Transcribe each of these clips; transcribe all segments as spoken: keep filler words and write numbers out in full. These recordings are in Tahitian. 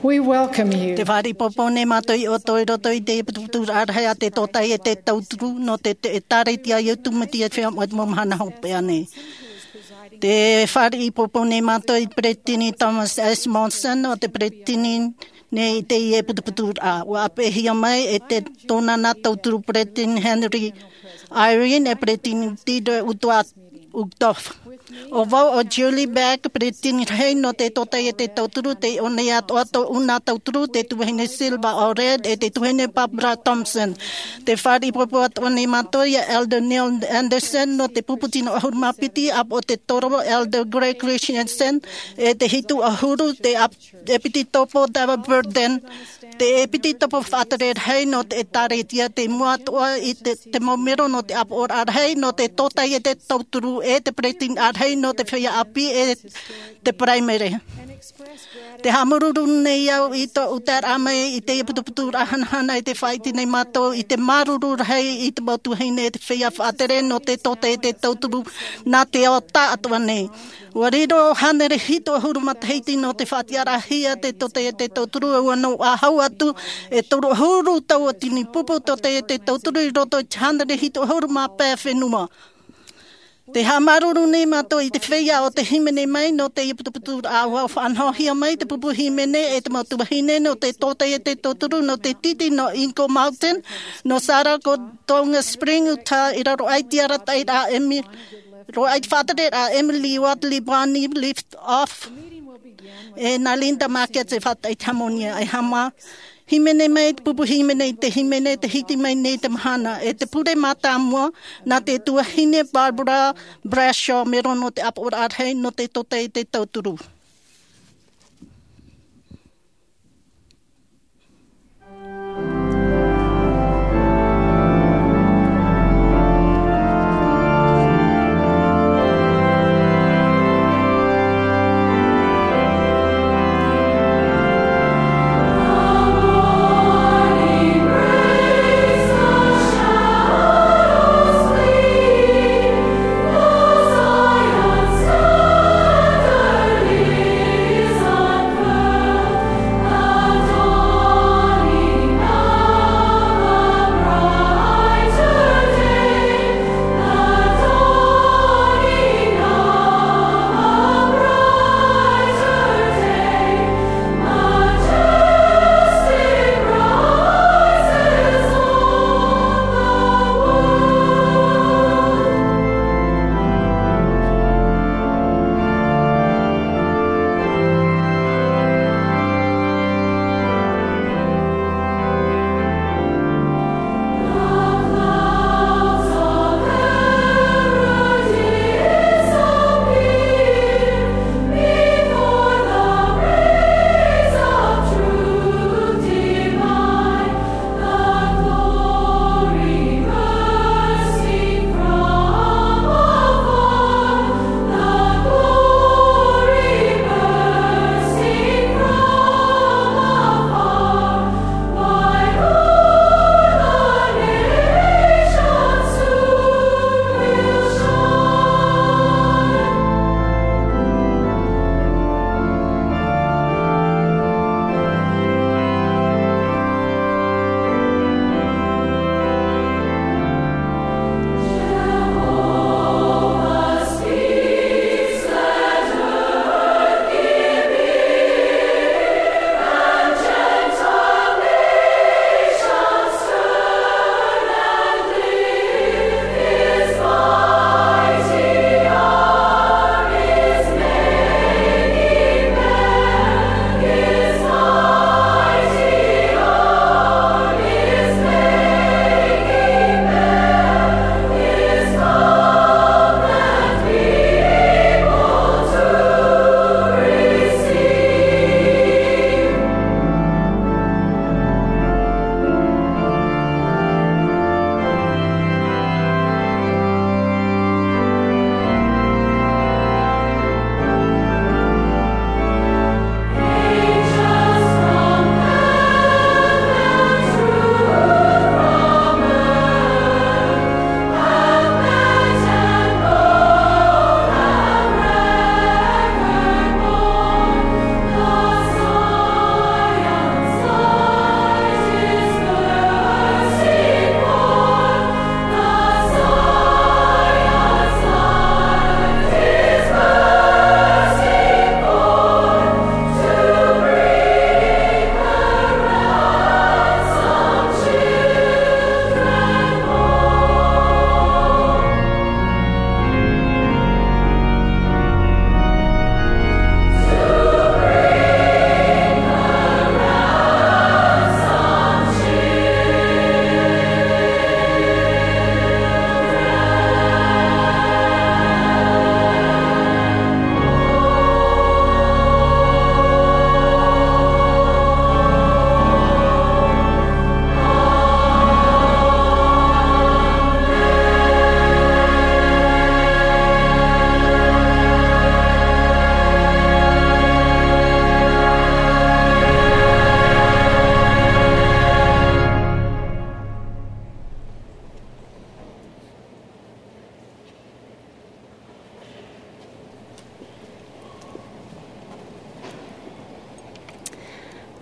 We welcome you. Te fāriʻi pōpō nei mātou iā ʻoutou i roto i te putuputuraʻa rahi a te tōtaiete tauturu nō te, te ʻĒtārētia i Ōtu Metia i te Feiā Moʻa i te mau mahana hopeʻa nei. Te fāriʻi pōpō nei mātou i te peretiteni Thomas S. Monson, ʻo te peretiteni nei i teie putuputuraʻa. ʻUa ʻāpeʻehia mai e te tōna nā tauturu peretiteni Henry Eyring, e peretiteni Dieter Uchtdorf. ʻO vau ʻo Julie Beck, peretiteni rahi nō te tōtaiete tauturu, tei ʻō nei atoʻa tōʻu nā tauturu, te tuahine Sylva Allred, e te tuahine Barbara Thompson. Te fāriʻi pōpō atoʻa nei mātou iā Elder Neil Andersen nō te pupu tino ʻahuru mā piti, ʻāpoʻo tē toro Elder Greg Christensen, e te hitu ʻahuru te ʻāp-, ʻEpitetopo David Burden, te ʻEpitetopo faʻatere rahi nō te ʻĒtārētia, tei mua atoʻa i te, te mau mero nō te ʻāpoʻoraʻa rahi nō te tōtaiete tauturu, e te peretiteni rahi nō te feiā ʻāpī, e te paraimere. Te haʻamāuruuru nei au i tōʻu taeraʻa mai i teie putuputuraʻa hanahana, i te faʻaʻite nei mātou i te māuruuru rahi i te mau tuahine, e te feiā faʻatere nō te tōtaiete tauturu nā te ao taʻatoʻa nei. ʻUa riro hānere hitu ʻahuru matahiti nō te faʻatiʻaraʻahia te tōtaiete tauturu, ʻua noaʻa hau atu e toru ʻahuru tauatini pupu tōtaiete tauturu i roto i te hānere hitu ʻahuru mā pae fenua. Te haʻamāuruuru nei mātou i te feiā ʻo tē hīmene mai nō teie putuputuraʻa. ʻUa faʻanahohia mai te pupu hīmene e te mau tuahine nō te tōtaiete tauturu, nō te tītī nō Eagle Mountain, nō Saratoga Springs, Utah, i raro aʻe i te arataʻiraʻa Emi-, raro aʻe i te faʻatereraʻa Emily Wadley Barney Liftoff, e nā Linda Markets e faʻataʻa i te haʻamoni. E haʻamā-, hīmene mai te pupu hīmene i te hīmene, tē hiti mai nei te mahana, e te pure mātāmua, nā te tuahine Barbara Brasher, mero nō te ʻāpoʻoraʻa rahi nō te tōtaiete tauturu.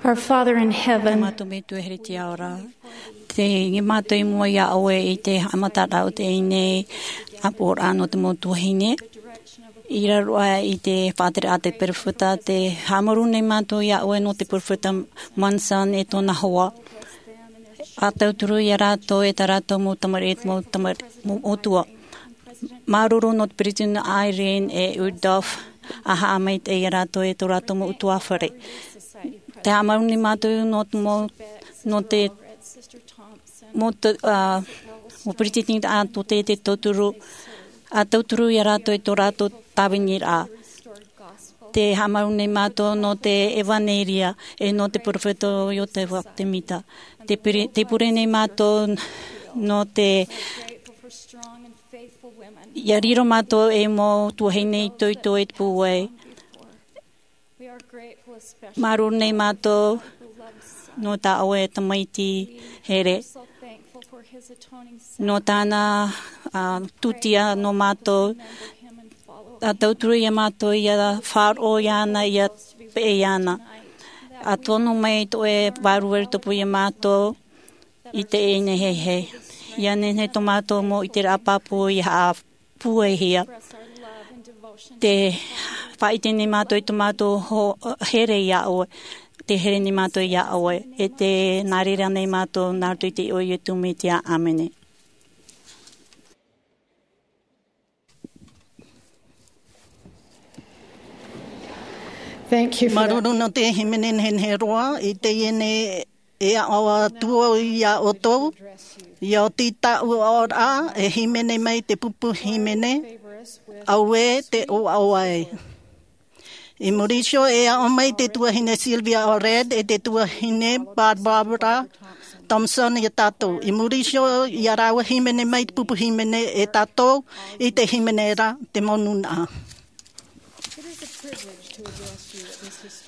Our Father in heaven, Mātou Metua here i te ao ra. Tē ʻite mātou i mua iā ʻoe i te haʻamataraʻa o teie nei ʻāpoʻoraʻa nō te mau tuahine. I raro aʻe i te faʻatereraʻa a te perofeta, tē haʻamāuruuru nei mātou iā ʻoe nō te perofeta Monson e tōna hoa. ʻA tauturu iā rātou e tā rātou mau tamariʻi, mau tamariʻi, mau ʻutuāfare. Māuruuru nō te Peresideni Eyring e Uchtdorf, ʻa haʻamaitaʻi iā rātou e tō rātou mau ʻutuāfare. Tē haʻamāuruuru nei mātou nō te mau, nō te mau, ā, mau peresideni atoʻa tō te, te tauturu, ʻa tauturu iā rātou e tō rātou tāviniraʻa. Tē haʻamāuruuru nei mātou nō te ʻevaneria e nō te perofeta o Iosefa Sāmita. Tē pure, tē pure nei mātou nō te, ʻia riro mātou ei mau tuahine itoito e te pūai. Māuruuru nei mātou nō tā ʻoe tamaiti here, nō tāna, ā, tūtia nō mātou, ʻa tauturu iā mātou ʻia faʻaroʻo iāna, ʻia peʻe iāna. ʻA tono mai tō ʻoe vārua i tupu iā mātou i teie nei heheu. ʻIa nehenehe tō mātou mau ʻiteraʻa pāpū ʻia haʻapūaihia. Tē faʻaʻite nei mātou i tō mātou ho-, here iā ʻoe. Tē here nei mātou iā ʻoe. E tē nā reira nei mātou nā roto i te iʻoa o Iesu Mesia. ʻĀmene. Thank you for that. Māuruuru nō te hīmene nehenehe roa i teie nei. E aʻo atu au iā ʻoutou, ʻia oti tāʻu aʻoraʻa e hīmene mai te pupu hīmene, auē tē ʻōaʻo ai. I muri iho e aʻo mai te tuahine Sylvia Allred e te tuahine Barbara Thompson iā tātou. I muri iho ia rāua hīmene mai te pupu hīmene e tātou i te hīmene ra, te mau nūnaʻa.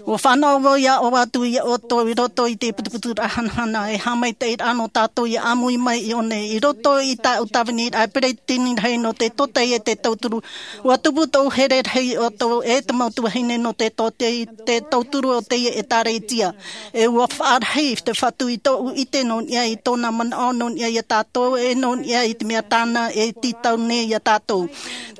ʻUa fānaʻo vau ʻia ʻoaʻoa atu iā ʻoutou i roto i te putuputuraʻa hanahana e haʻamaitaʻiraʻa nō tātou ʻia ʻāmui mai i ʻō nei. I roto i tāʻu tāviniraʻa e peresideni rahi nō te tōtaiete tauturu, ʻua tupu tōʻu here rahi iā ʻoutou e te mau tuahine nō te tōtaiete tauturu o teie ʻētāretia. E ʻua faʻarahi te Fatu i tōʻu ʻite nō niʻa i tōna manaʻo nō niʻa iā tātou, e nō niʻa i te mea tāna e tītau nei iā tātou.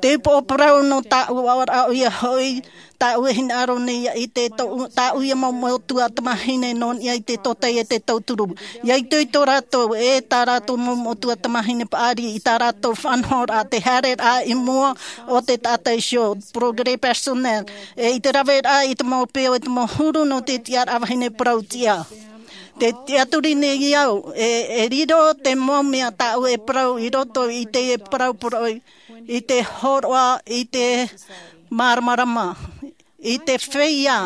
Te upoʻo parau nō tāʻu aʻoraʻa ʻoia hoʻi, tāʻu e hinaʻaro nei ʻia ʻite tōʻu, tāʻu ia mau metua tamāhine nō niʻa i te tōtaiete tauturu. ʻIa itoito rātou e tā rātou mau metua tamāhine paʻari i tā rātou faʻanahoraʻa, te haereraʻa i mua o te taʻata iho, progrès personnel, e i te raveraʻa i te mau peau e te mau huru nō te tiʻaraʻa vahine parau tiʻa. Tē tiʻaturi nei au, e, e riro te mau mea tāʻu e parau i roto i te parau poroʻi, i te hōroʻa, i te māramarama, i te feiā,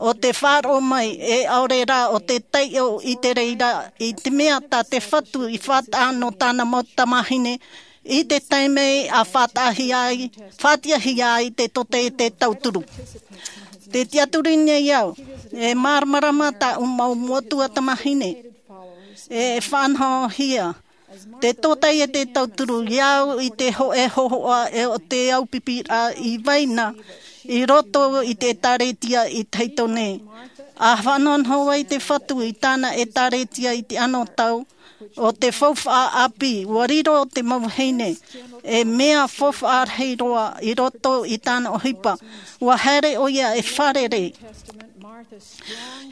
ʻo te faʻaroʻo mai, e ʻaore rā ʻo te taiʻo i te reira, i te mea tā te Fatu i faʻataʻa nō tāna mau tamāhine, i te taime ʻa faʻataʻahia ai, faʻatiʻahia ai te tōtaiete tauturu. Tē tiʻaturi nei au, e māramarama tāʻu mau metua tamāhine, e faʻanahohia te tōtaiete tauturu iāʻu i te hōʻē hōhoʻa e ʻo te aupipiraʻa i vai na i roto i te ʻētāretia i Tahito nei. ʻA faʻanahonaho ai te Fatu i tāna ʻētāretia i te anotau, ʻo te faufaʻa ʻāpī, ʻua riro te mau vahine, e mea faufaʻa rahi roa i roto i tāna ʻohipa. ʻUa haere ʻoia e fārerei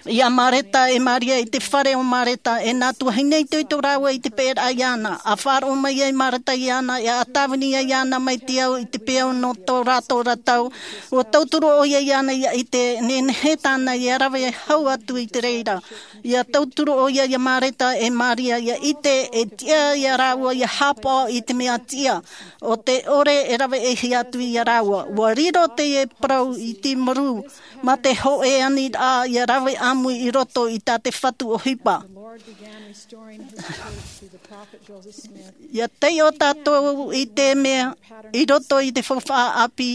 iā Mareta e Maria i te fare o Mareta, e nā tuahine itoito rāua i te peʻeraʻa iāna. ʻA faʻaroʻo mai ai Mareta iāna, e ʻa tāvini ai iāna mai te au i te peau nō tō rātou ra tau. ʻUa tauturu ʻoia iāna ʻia ʻite, nehenehe tāna ʻia rave hau atu i te reira. ʻIa tauturu ʻoia iā Mareta e Maria, ʻia ʻite, e tiʻa iā rāua ʻia haʻapaʻo i te mea tiʻa, ʻo te ʻore e raveʻihia atu iā rāua. ʻUa riro teie parau i te muru, mā te hōʻē aniraʻa ʻia rave ʻāmui i roto i tā te Fatu ʻohipa. ʻIa taiʻo tātou i te mea, i roto i te faufaʻa ʻāpī,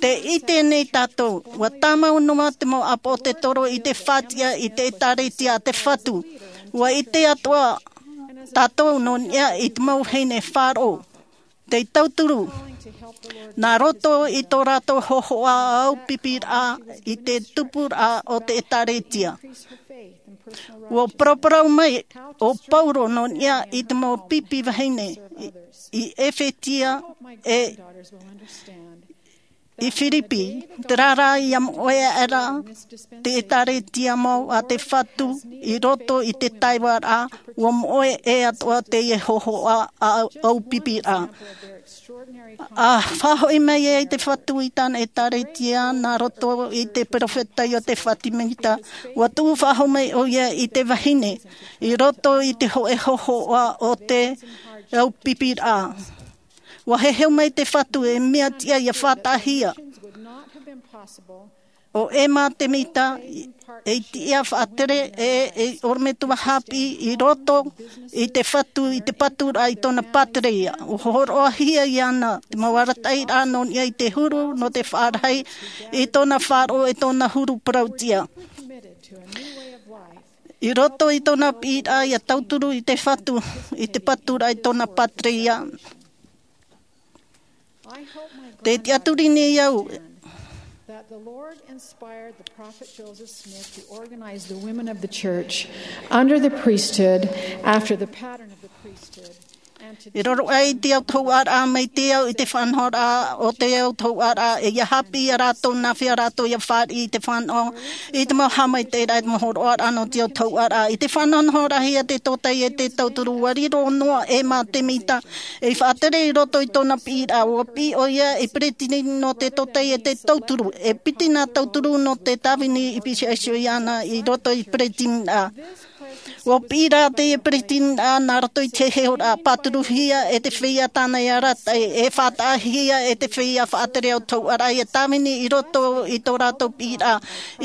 tē ʻite nei tātou, ʻua tāmau noa te mau ʻāpoʻo te toro i te faʻatiʻa i te ʻētāretia a te Fatu. ʻUa ʻite atoʻa tātou nō niʻa i te mau vahine faʻaroʻo, tei tauturu, nā roto i tō rātou hōhoʻa aupipiraʻa i te tupuraʻa o te ʻētāretia. Ua paraparau mai o Paulo nō niʻa i te mau pipi vahine i, i Efetia e i Firipi, terā rā ia moʻe aʻera te ʻēkālesia mau a te Fatu i roto i te taivaraʻa, ua moʻe atoʻa teie hōhoʻa a ʻaupipiraʻa. A faʻahoʻi mai ai te Fatu i tāna ʻēkālesia nā roto i te perofeta Iotefa Semita, ua tuʻu faʻahou mai ʻoia i te vahine i roto i te hōʻē hōhoʻa o te ʻaupipiraʻa. Ua heheu mai te Fatu e mea tiʻa ia faʻataʻahia. ʻO Emma Semita, e tiʻa faʻatere e, e ʻorometua haʻapiʻi i roto i te Fatu, i te paturaʻa i tōna pātireia. Ua hōroʻahia iāna te mau arataʻiraʻa nō niʻa i te huru nō te faʻarahi i tōna faʻaroʻo, i tōna huru parau tiʻa. I roto i tōna piʻiraʻa ia tauturu i te Fatu, i te paturaʻa i tōna pātireia. Te tiʻaturi nei au. That the Lord inspired the prophet Joseph Smith to organize the women of the church under the priesthood after the pattern of the priesthood. E roro ai te autahuʻaraʻa mai te au i te faʻanahoraʻa o te autahuʻaraʻa, e ia haʻapiʻi ia rātou nā hea rātou ia fāriʻi i te fānaʻo, i te mau haʻamaitaʻiraʻa, i te mau hōroʻaraʻa nō te autahuʻaraʻa. I te faʻanahonahoraʻahia te tōtaiete tauturu, ua riro noa Emma Semita ei faʻatere i roto i tōna piʻiraʻa. Ua piʻi ʻoia ei peretiteni nō te tōtaiete tauturu, e piti nā tauturu nō te tāvini i pīhaʻi iho iāna i roto i peretiteniraʻa. Ua piʻi rā teie peretiteniraʻa nā roto i te heheuraʻa pāturuhia e te feiā tāna e arataʻi, e faʻataʻahia e te feiā faʻatere autahuʻaraʻa ia tāvini i roto i tō rātou piʻiraʻa.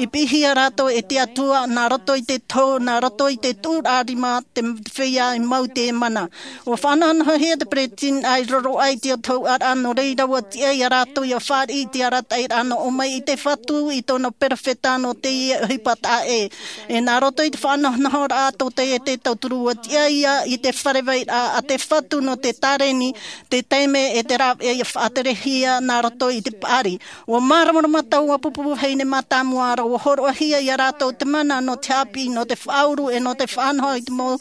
I piʻihia rātou e te Atua nā roto i te tohu, nā roto i te tuʻuraʻa rima te feiā i mau i te mana. Ua faʻanahonahohia te peretiteniraʻa i roro aʻe i te autahuʻaraʻa, nō reira ua tiʻa ia rātou ia fāriʻi i te arataʻiraʻa nō ʻō mai i te Fatu i tōna perofeta nō teie ʻohipa taʻa ʻē. E nā roto i te faʻanahonahoraʻa tōtaiete tauturu, ua tiʻa ia i te fare vairaʻa a te Fatu nō te tāreni, te taime e te rāveʻa ia faʻaterehia nā roto i te paʻari. Ua māramarama taua pupu vahine mātāmua ra, ua hōroʻahia ia rātou te mana nō te haʻapiʻi, nō te faʻauru, e nō te faʻanaho i te mau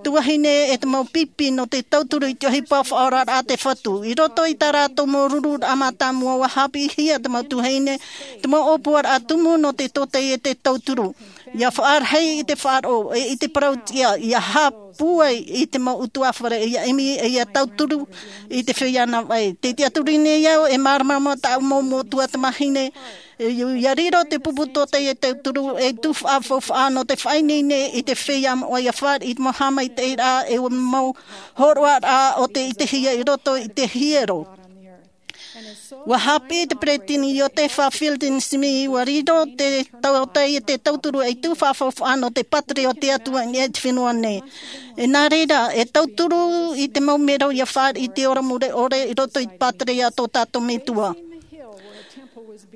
tuahine e te mau pipi nō te tauturu i te ʻohipa faʻaoraraʻa a te Fatu. I roto i tā rātou mau rururaʻa mātāmua, ua haʻapiʻihia te mau tuahine te mau ʻōpuaraʻa tumu nō te tōtaiete tauturu. Ia faʻarahi i te faʻaroʻo, e i te parau tiʻa, ia haʻapūai i te mau ʻutuāfare, ia ʻimi, e ia tauturu i te feiā navaʻi. Te tiʻaturi nei au, e māramarama tāʻu mau motu tamāhine, e, ia riro te pupu tōtaiete tauturu ei tuhaʻa faufaʻa nō te faʻaineine i te feiā moʻa ia fāriʻi i te mau haʻamaitaʻiraʻa, e mau hōroʻaraʻa o te ʻitehia i roto i te hiero. Ua haʻapiʻi te peretiteni Iotefa Fielding Smith, ua riro te tōtaiete tauturu ei tuhaʻa faufaʻa nō te pātireia o te Atua i niʻa i te fenua nei. E nā reira, e tauturu i te mau mero ia fāriʻi i te ora mure ʻore i roto i te pātireia a tō tātou Metua.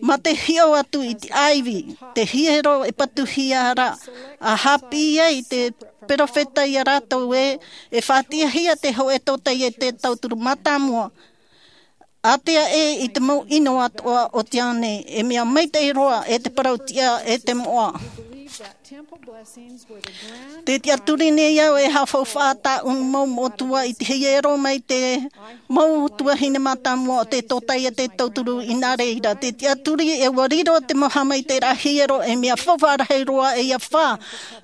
Mā te hiʻo atu i te ʻāivi, te hiero e patuhia ra, a haʻapiʻi ai te perofeta ia rātou ē, e faʻatiʻahia te hōʻē tōtaiete tauturu mātāmua. Ātea ē i te mau ʻino atoʻa o te ao nei, e mea maitaʻi roa e te parau tiʻa e te moʻa. Te tiʻaturi nei au e haʻafaufaʻa tāʻu mau motu i te hiero mai te mau tuahine mātāmua o te tōtaiete tauturu i nā reira. Te tiʻaturi e ua riro te mau haʻamaitaʻiraʻa hiero ei mea faufaʻa rahi roa e ia fā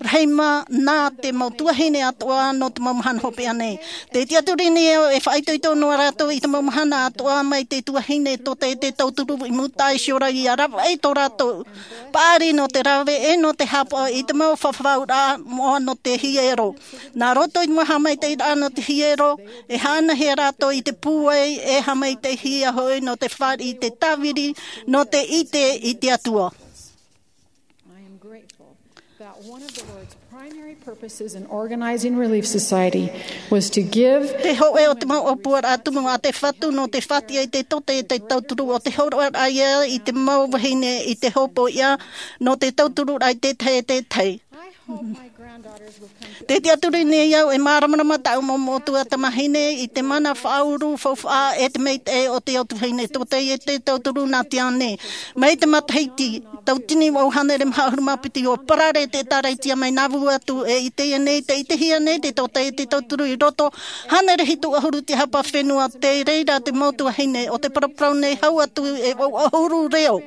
rahi mā nā te mau tuahine atoʻa nō te mau mahana hopeʻa nei. Te tiʻaturi nei au e faʻaitoito noa rātou i te mau mahana atoʻa mai te tuahine tōtaiete tauturu i mūtaʻa iho ra ia ravaʻi tō rātou paʻari nō te rave e nō te haʻapaʻo i te mau fafauraʻa moʻa nō te hiero. Nā roto i te mau haʻamaitaʻiraʻa nō te hiero, e haʻanahia rātou i te pūai e haʻamaitaʻihia hoʻi nō te fāriʻi i te tāvini nō te ʻite i te Atua. I am grateful that one of the Lord's primary purposes in organizing Relief Society was to give. Te hōʻē o te mau ʻōpuaraʻa tumu a te Fatu nō te faʻatiʻa i te tōtaiete tauturu, ʻo te hōroʻaraʻa ia i te mau vahine i te hopoiʻa nō te tautururaʻa i te tahi e te tahi. I hope my granddaughter Te tiʻaturi nei au e māramarama taʻu mau moʻotua tamahine i te mana faʻauru faufaʻa e te maitaʻi o te au tuahine tōtaiete tauturu nā te ao nei. Mai te matahiti tautini mau hānere maha ʻahuru mā piti ua parare te ʻēkālesia mai Nauvoo atu, e i teie nei te ʻitehia nei te tōtaiete tauturu i roto hānere hitu ʻahuru te hapa fenua. Te reira te mau tuahine o te paraparau nei hau atu e vau ʻahuru reo.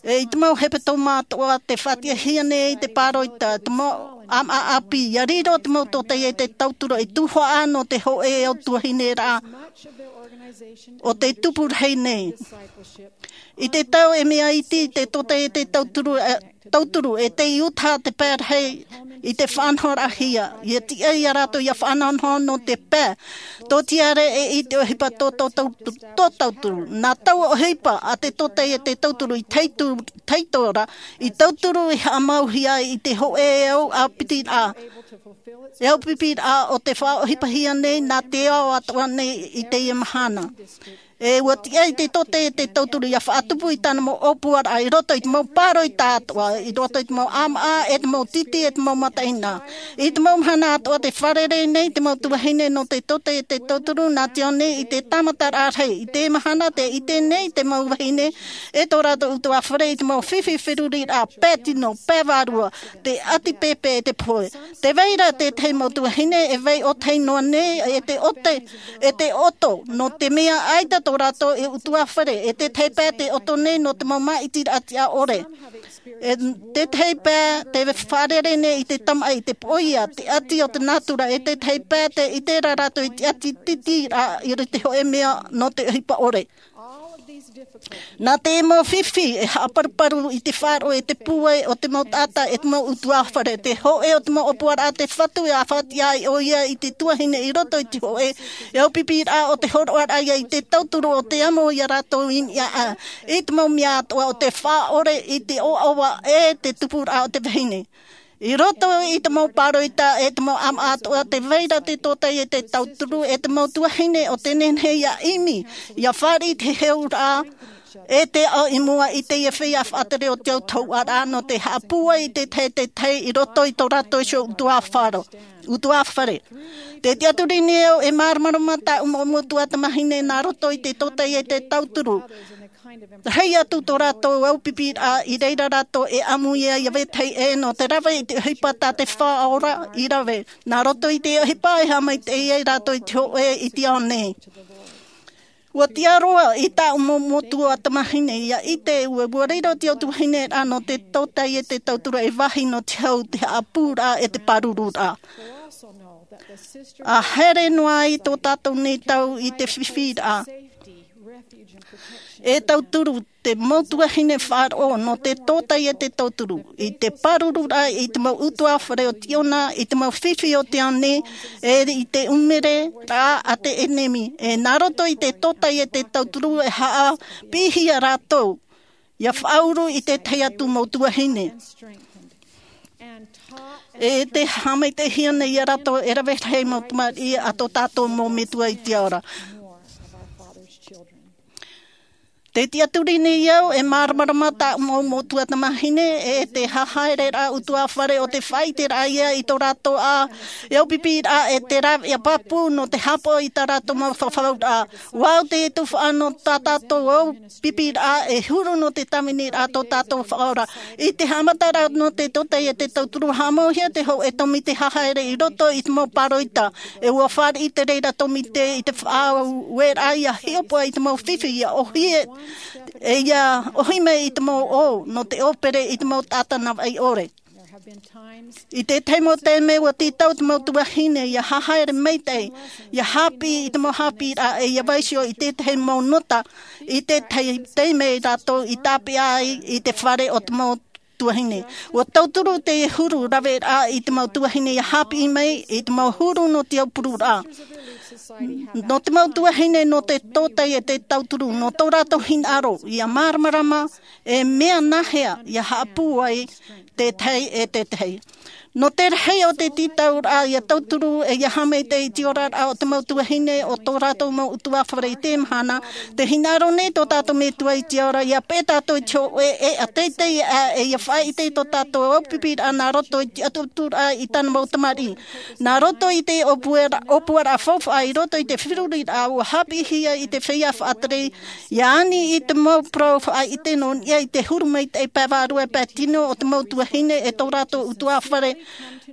E i te mau hepetoma atoʻa te faʻatiʻahia nei te pāroita te mau ʻāmaʻa ʻāpī ia riro te mau tōtaiete tauturu i tuhaʻa nō te hōʻē au tuahine rā o te tupu rahi nei. I te tau e mea iti te tōtaiete tauturu e tauturu e te iuta te pae rahi i te faʻanahoraʻahia ia tiʻa ia rātou ia faʻanahonaho nō te pae tōtiare e i te ʻohipa tō tauturu nā taua ʻohipa a te tōtaiete tauturu i taitora i tauturu i haʻamauhia i te hōʻē au ʻāpitiraʻa e au pipiraʻa o te faʻaʻohipahia nei nā te ao atoʻa nei i teie mahana. E ua tiʻa i te tōtaiete tauturu ia faʻatupu i tāna mau ʻōpuaraʻa i roto i te mau pāroita atoʻa i roto i te mau ʻāmaʻa e te mau titi e te mau mataʻina. I te mau mahana atoʻa te fārerei nei te mau tuahine nō te tōtaiete tauturu nā te ao nei i te tāmataraʻa rahi i te mahana te ʻite nei te mau vahine e tō rātou utuāfare i te mau fifi feruriraʻa pae tino pae vārua te ʻati pēpē e te pohe. Te vai ra tētahi mau tuahine e vai ʻōtahi noa nei e te ʻoto e te ʻoto nō te mea ʻaita tō rātou e utuāfare e tētahi pae te ʻoto nei nō te mau māʻitiraʻa tiʻa ʻore. E tētahi pae te fārerei nei i te tamaʻi te poʻia te ʻati o te nātura e tētahi pae te ʻite ra rātou i te ʻati titiraʻa i te hōʻē mea nō te ʻohipa ʻore. Nā te mau fifi e haʻaparuparu i te faʻaroʻo e te pūai o te mau taʻata e te mau utuāfare te hōʻē o te mau ʻōpuaraʻa te fatu e faʻatiʻa ai ʻoia i te tuahine i roto i te hōʻē e au pipiraʻa o te hōroʻaraʻa ia i te tauturu o te amo ia rātou i niʻa i te mau mea atoʻa o te faʻaʻore i te ʻoaʻoa e te tupuraʻa o te vahine. I roto i te mau pāroita e te mau ʻāmaʻa atoʻa te vai ra te tōtaiete tauturu e te mau tuahine o te nehenehe ia ʻimi ia fāriʻi te heheuraʻa e te aʻo i mua i teie feiā faʻatere o te autahuʻaraʻa nō te haʻapūai i te tahi te tahi i roto i tō rātou iho utuāfare. Te tiʻaturi nei au e māramarama taʻu mau moʻotua tamahine nā roto i te tōtaiete tauturu. Rahi atu tō rātou au pipiraʻa i reira rātou e ʻamu ia ia vetahi ʻē nō te rave i te ʻohipa tā te Faʻaora i rave nā roto i te ʻohipa e haʻamaitaʻi ai rātou i te hōʻē i te ao nei. Ua tiʻa roa i taʻu mau moʻotua tamahine ia ʻite ua riro te au tuahine rā nō te tōtaiete tauturu e vāhi nō te hau te haʻapūraʻa e te pārururaʻa. A haere noa ai tō tātou nei tau i te fifiraʻa e tauturu te mau tuahine faʻaroʻo nō te tōtaiete tauturu i te pārururaʻa i te mau utuāfare o tiʻona i te mau fifi o te ao nei e i te ʻumere rā a te ʻenemi e nā roto i te tōtaiete tauturu e haʻapiʻihia rātou ia faʻauru i tētahi atu mau tuahine e te haʻamaitaʻihia nei ia rātou e rave rahi mau tamariʻi a tō tātou mau metua i te ao ra. Te tiʻaturi nei au e māramarama taʻu mau moʻotua tamahine e te hahaereraʻa utuāfare o te faʻaiteraʻa ia i tō rātou ʻā e au pipiraʻa e te rāveʻa pāpū nō te hāpaʻo i tā rātou mau fafauraʻa. Ua au te tufaʻa nō tā tātou au pipiraʻa e huru nō te tāviniraʻa tō tātou Faʻaora. I te haʻamataraʻa nō te tōtaiete tauturu haʻamauhia te hōʻē tōmite hahaere i roto i te mau pāroita e ua fāriʻi te reira tōmite i te faʻaueraʻa ia hiʻopoʻa i te mau fifi ia ʻohie e ia ʻohi mai i te mau ʻō nō te ʻōpere i te mau taʻata navaʻi ʻore. I tētahi mau taime ua tītau te mau tuahine ia hahaere maitaʻi ia hāpiʻi i te mau hāpiʻiraʻa e ia vaiiho i tētahi mau nota i tētahi taime rātou i tāpeʻa ai i te fare o te mau tuahine. Ua tauturu te huru raveraʻa i te mau tuahine ia hāpiʻi mai i te mau huru nō te aupururaʻa nō te mau tuahine nō te tōtaiete tauturu nō tō rātou hinaʻaro ia māramarama e mea nāhea ia haʻapūai tētahi e tētahi. Nō te rahi o te tītauraʻa ia tauturu e ia haʻamaitaʻi i te oraraʻa o te mau tuahine o tō rātou mau ʻutuāfare i te mahana, te hinaʻaro nei tō tātou Metua i te ao ia peʻe tātou i te hōʻē e ʻa teitei ā e ia faʻaʻite i tō tātou aupiʻiraʻa nā roto i te ʻatuʻaturaʻa i tāna mau tamariʻi. Nā roto i te ʻōpuaraʻa, ʻōpuaraʻa faufaʻa i roto i te feruriraʻa ua haʻapiʻihia i te feiā faʻatere, ia ani i te mau parau faʻaʻite nō niʻa i te huru maitaʻi pae vārua pae tino o te mau tuahine e tō rātou ʻutuāfare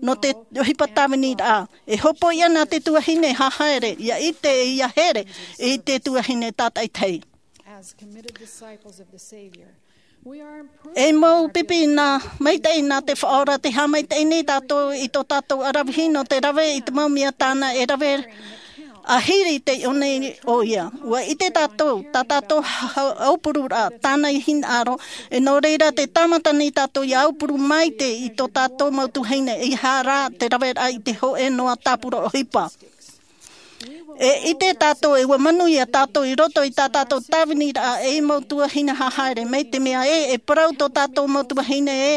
nō te ʻohipa tāviniraʻa. E hopoiʻa nā te tuahine hahaere, ia ʻite e ia here i te tuahine tātaʻitahi. As committed disciples of the Savior, we are improved. E mau pipi nā, maitaʻi nā te Faʻaora, tē haʻamaitaʻi nei tātou i tō tātou ʻaravihi nō te rave i te mau mea tāna e rave ʻāhiri i te ʻō nei ʻoia. ʻUa ʻite tātou, tā tātou ha-, ha-, aupururaʻa, tāna i hinaʻaro, e nō reira tē tāmata nei tātou ia aupuru maite i tō tātou mau tuahine, ʻeiaha rā te raveraʻa i te hōʻē noa tāpura ʻohipa. E ʻite tātou, e ʻua manuia tātou i roto i tā tātou tāviniraʻa ei mau tuahine hahaere, mai te mea ē, e parau tō tātou mau tuahine ē,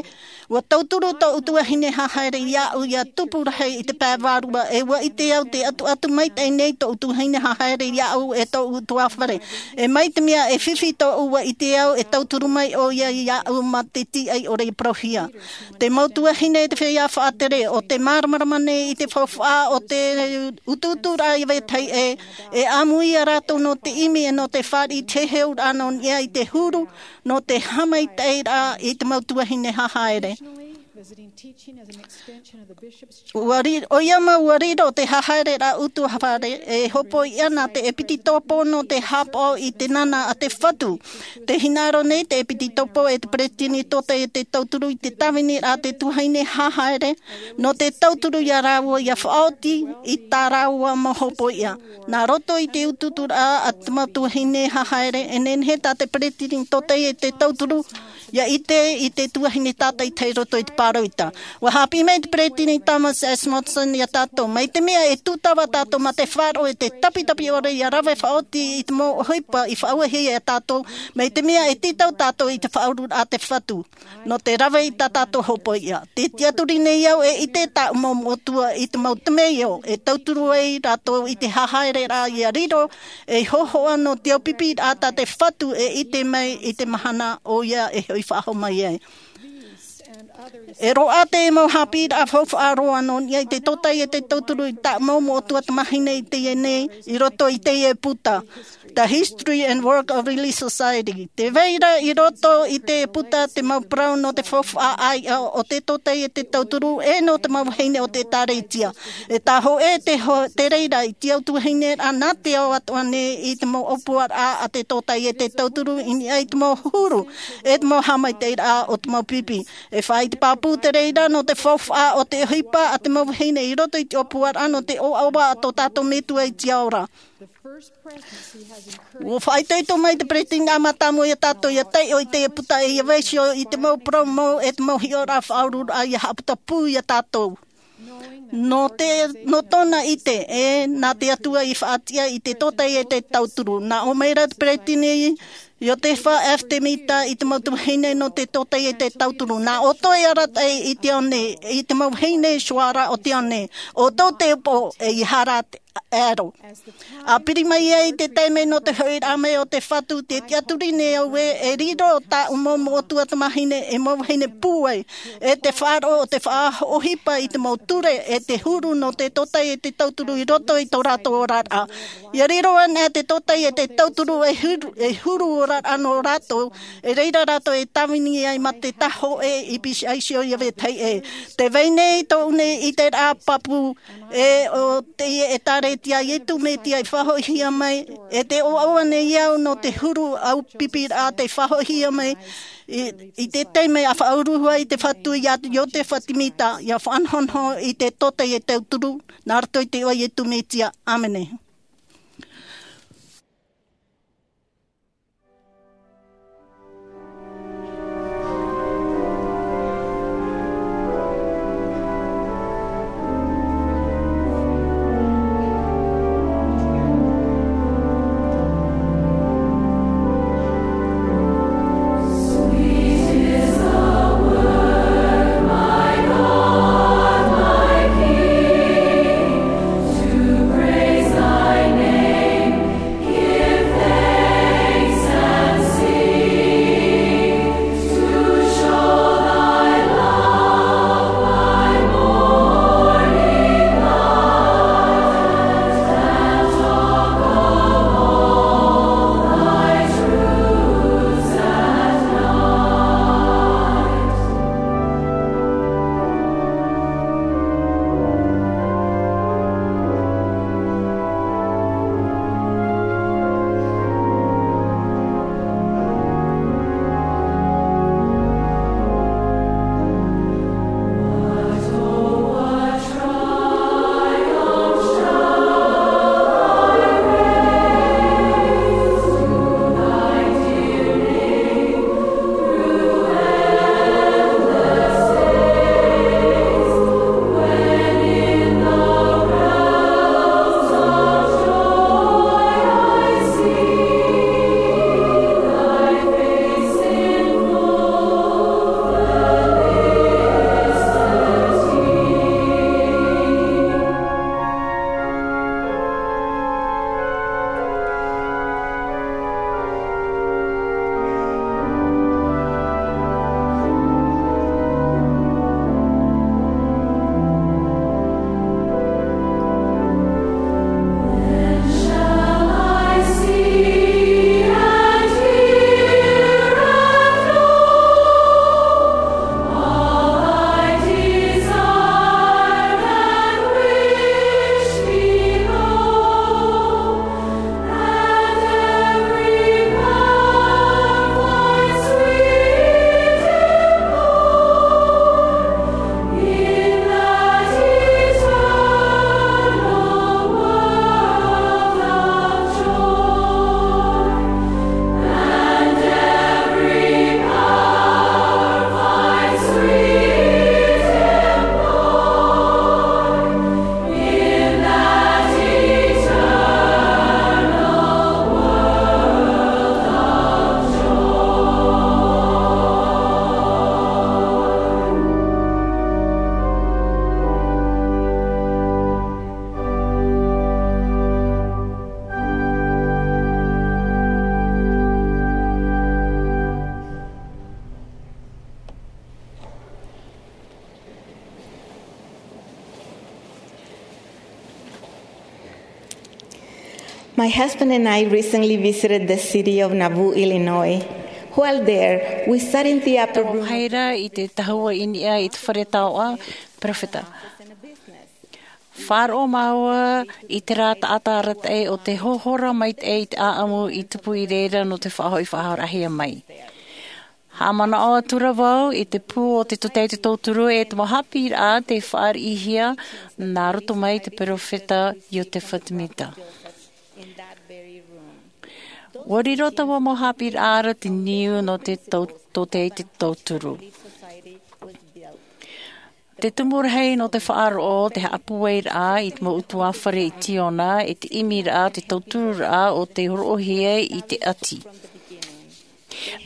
ʻua tauturu tōʻu tuahine hahaere iāʻu ia tupu rahi i te pae vārua, e ʻua ʻite au tē ʻatuʻatu maitaʻi nei tōʻu tuahine hahaere iāʻu e tōʻu ʻutuāfare. E mai te mea e fifi tōʻu, ʻua ʻite au e tauturu mai ʻoia iāʻu mā te tīaʻi ʻore i parauhia. Te mau tuahine, te feiā faʻatere, ʻo tē māramarama nei i te faufaʻa o te ʻutuʻuturaʻa ia vetahi ē, e ʻāmui ia rātou nō te ʻimi e nō te fāriʻi i te heheuraʻa nō niʻa i te huru, nō te haʻamaitaʻiraʻa i te mau tuahine hahaere. ʻUa ri-, ʻoia mau ʻua riro te hahaereraʻa ʻutuāfare, e hopoiʻa nā te ʻepitetopo nō te haʻapaʻo i te nānā a te Fatu. Tē hinaʻaro nei te ʻepitetopo e te peretiteni tōtaiete tauturu i te tāviniraʻa a te tuahine hahaere, nō te tauturu ia rāua ia faʻaoti i tā rāua mau hopoiʻa. Nā roto i te ʻutuʻuturaʻa a te mau tuahine hahaere, e nehenehe tā te peretiteni tōtaiete tauturu ia ʻite i te tuahine tātaʻitahi i roto i te pāroita. ʻUa haʻapiʻi mai te peretiteni Thomas S. Monson ia tātou, mai te mea e tūtava tātou mā te faʻaroʻo i te tapitapi ʻore ia rave faʻaoti i te mau ʻohipa i faʻauehia ia tātou, mai te mea e tītau tātou i te faʻaururaʻa a te Fatu nō te rave i tā tātou hopoiʻa. Tē tiʻaturi nei au e ʻite tāʻu mau moʻotua i te mau temeio e tauturu ai rātou i te hahaereraʻa ia riro ei hōhoʻa nō te aupiʻiraʻa tā te Fatu e ʻite mai i te mahana ʻoia e hoʻi faʻahou mai ai. E roaʻa te mau haʻapiʻiraʻa faufaʻa roa nō niʻa i te tōtaiete tauturu i tāʻu mau moʻotua tamāhine i teie nei i roto i teie puta. The History and Work of Relief Society. Tē vai ra i roto i te puta te mau parau nō te faufaʻa ʻāiʻa o te tōtaiete tauturu e nō te mau vahine o te ʻĒtārētia. E taʻa hōʻē te ho-, te reira i te au tuahine ra nā te ao atoʻa nei i te mau ʻōpuaraʻa a te tōtaiete tauturu i niʻa i te mau huru, e te mau haʻamaitaʻiraʻa o te mau pipi. E faʻaʻite pāpū te reira nō te faufaʻa o te ʻohipa a te mau vahine i roto i te ʻōpuaraʻa nō te ʻoaʻoa a tō tātou Metua i te ao ra. ʻUa faʻaitoito mai te peretiteni mātāmua ia tātou ia taiʻo i te puta e ia vaiiho i te mau parau mau e te mau hiʻoraʻa faʻaururaʻa ia haʻaputapū ia tātou. Nō te, nō tōna ʻite, e, nā te Atua i faʻatiʻa i te tōtaiete tauturu. Nā ʻō mai ra te peretiteni Iosepha F. Semita i te mau tuahine nō te tōtaiete tauturu. Nā ʻoutou e arataʻi i te ao nei, i te mau vahine i te ao ra o te ao nei. ʻOutou te upoʻo, ʻeiaha rā te ʻero. ʻA piri mai ai te taime nō te hoʻiraʻa mai o te Fatu, tē tiʻaturi nei au ē, e riro tāʻu mau moʻotua tamāhine e mau vahine pūai, e te faʻaroʻo o te faʻaʻohipa i te mau ture, e te huru nō te tōtaiete tauturu i roto i tō rātou oraraʻa. ʻIa riro anaʻe te tōtaiete tauturu e huru, e huru oraraʻa nō rātou, e reira rātou e tāvini ai mā te taʻata hōʻē i pīhaʻi iho ia vetahi ē. Tē vai nei tōʻu nei ʻiteraʻa pāpū, e ʻo te ʻĒtārētia a Iesu Mesia i faʻahoʻihia mai, e tē ʻoaʻoa nei au nō te huru aupiʻiraʻa tei faʻahoʻihia mai, i, i te taime ʻa faʻauru ai te Fatu ia Iosepha Semita, ʻia faʻanahonaho i te tōtaiete tauturu, nā roto i te iʻoa o Iesu Mesia. ʻĀmene. My husband and I recently visited the city of Nauvoo, Illinois. While there, we sat in the upper room. Haere i te tahua i niʻa i te fare taoʻa, peropheta. Faʻaroʻo māua i te rā taʻata arataʻi o te hohora maitaʻi i te ʻāʻamu i tupu i reira nō te faʻahoʻi faʻahoʻirahia mai. Haʻamanaʻo atura vau i te pū o te tōtaiete tauturu e te mau haʻapiʻiraʻa tei fāriʻihia nā roto mai te peropheta Iotefa Temita. Ua riro taua mau haʻapiʻiraʻa ra te niu nō te tau-, tōtaiete tauturu. Te tumu rahi nō te faʻaroʻo, te haʻapūairaʻa i te mau ʻutuāfare i Tiona, e te ʻimiraʻa, te tautururaʻa o te hōroʻahia i te ʻati.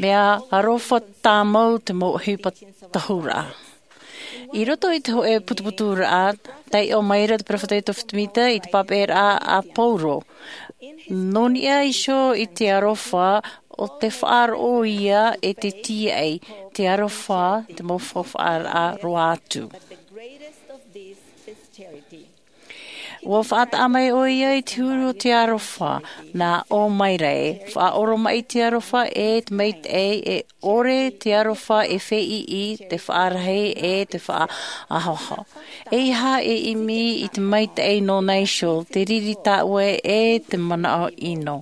Mea aroha tāmau te mau ʻohipa tahuraʻa. I roto i te hōʻē putuputuraʻa, taiʻo mai ra te peropheta Iotefa Temita i te papaʻiraʻa a Paulo. Nō niʻa iho i te aroha, ʻo te faʻaroʻo ia e te tīaʻi, te aroha, te mau faufaʻaraʻa roa atu. Ua faʻataʻa mai ʻoia i te huru o te aroha, nā ʻō mai ra ē, faʻaoromaʻi te aroha e te maitaʻi, e ʻore te aroha e feiʻi, te faʻarahi e te faʻaahoaho. ʻEiaha e ʻimi i te maitaʻi nōna iho, te riri tāʻue e te manaʻo ʻino.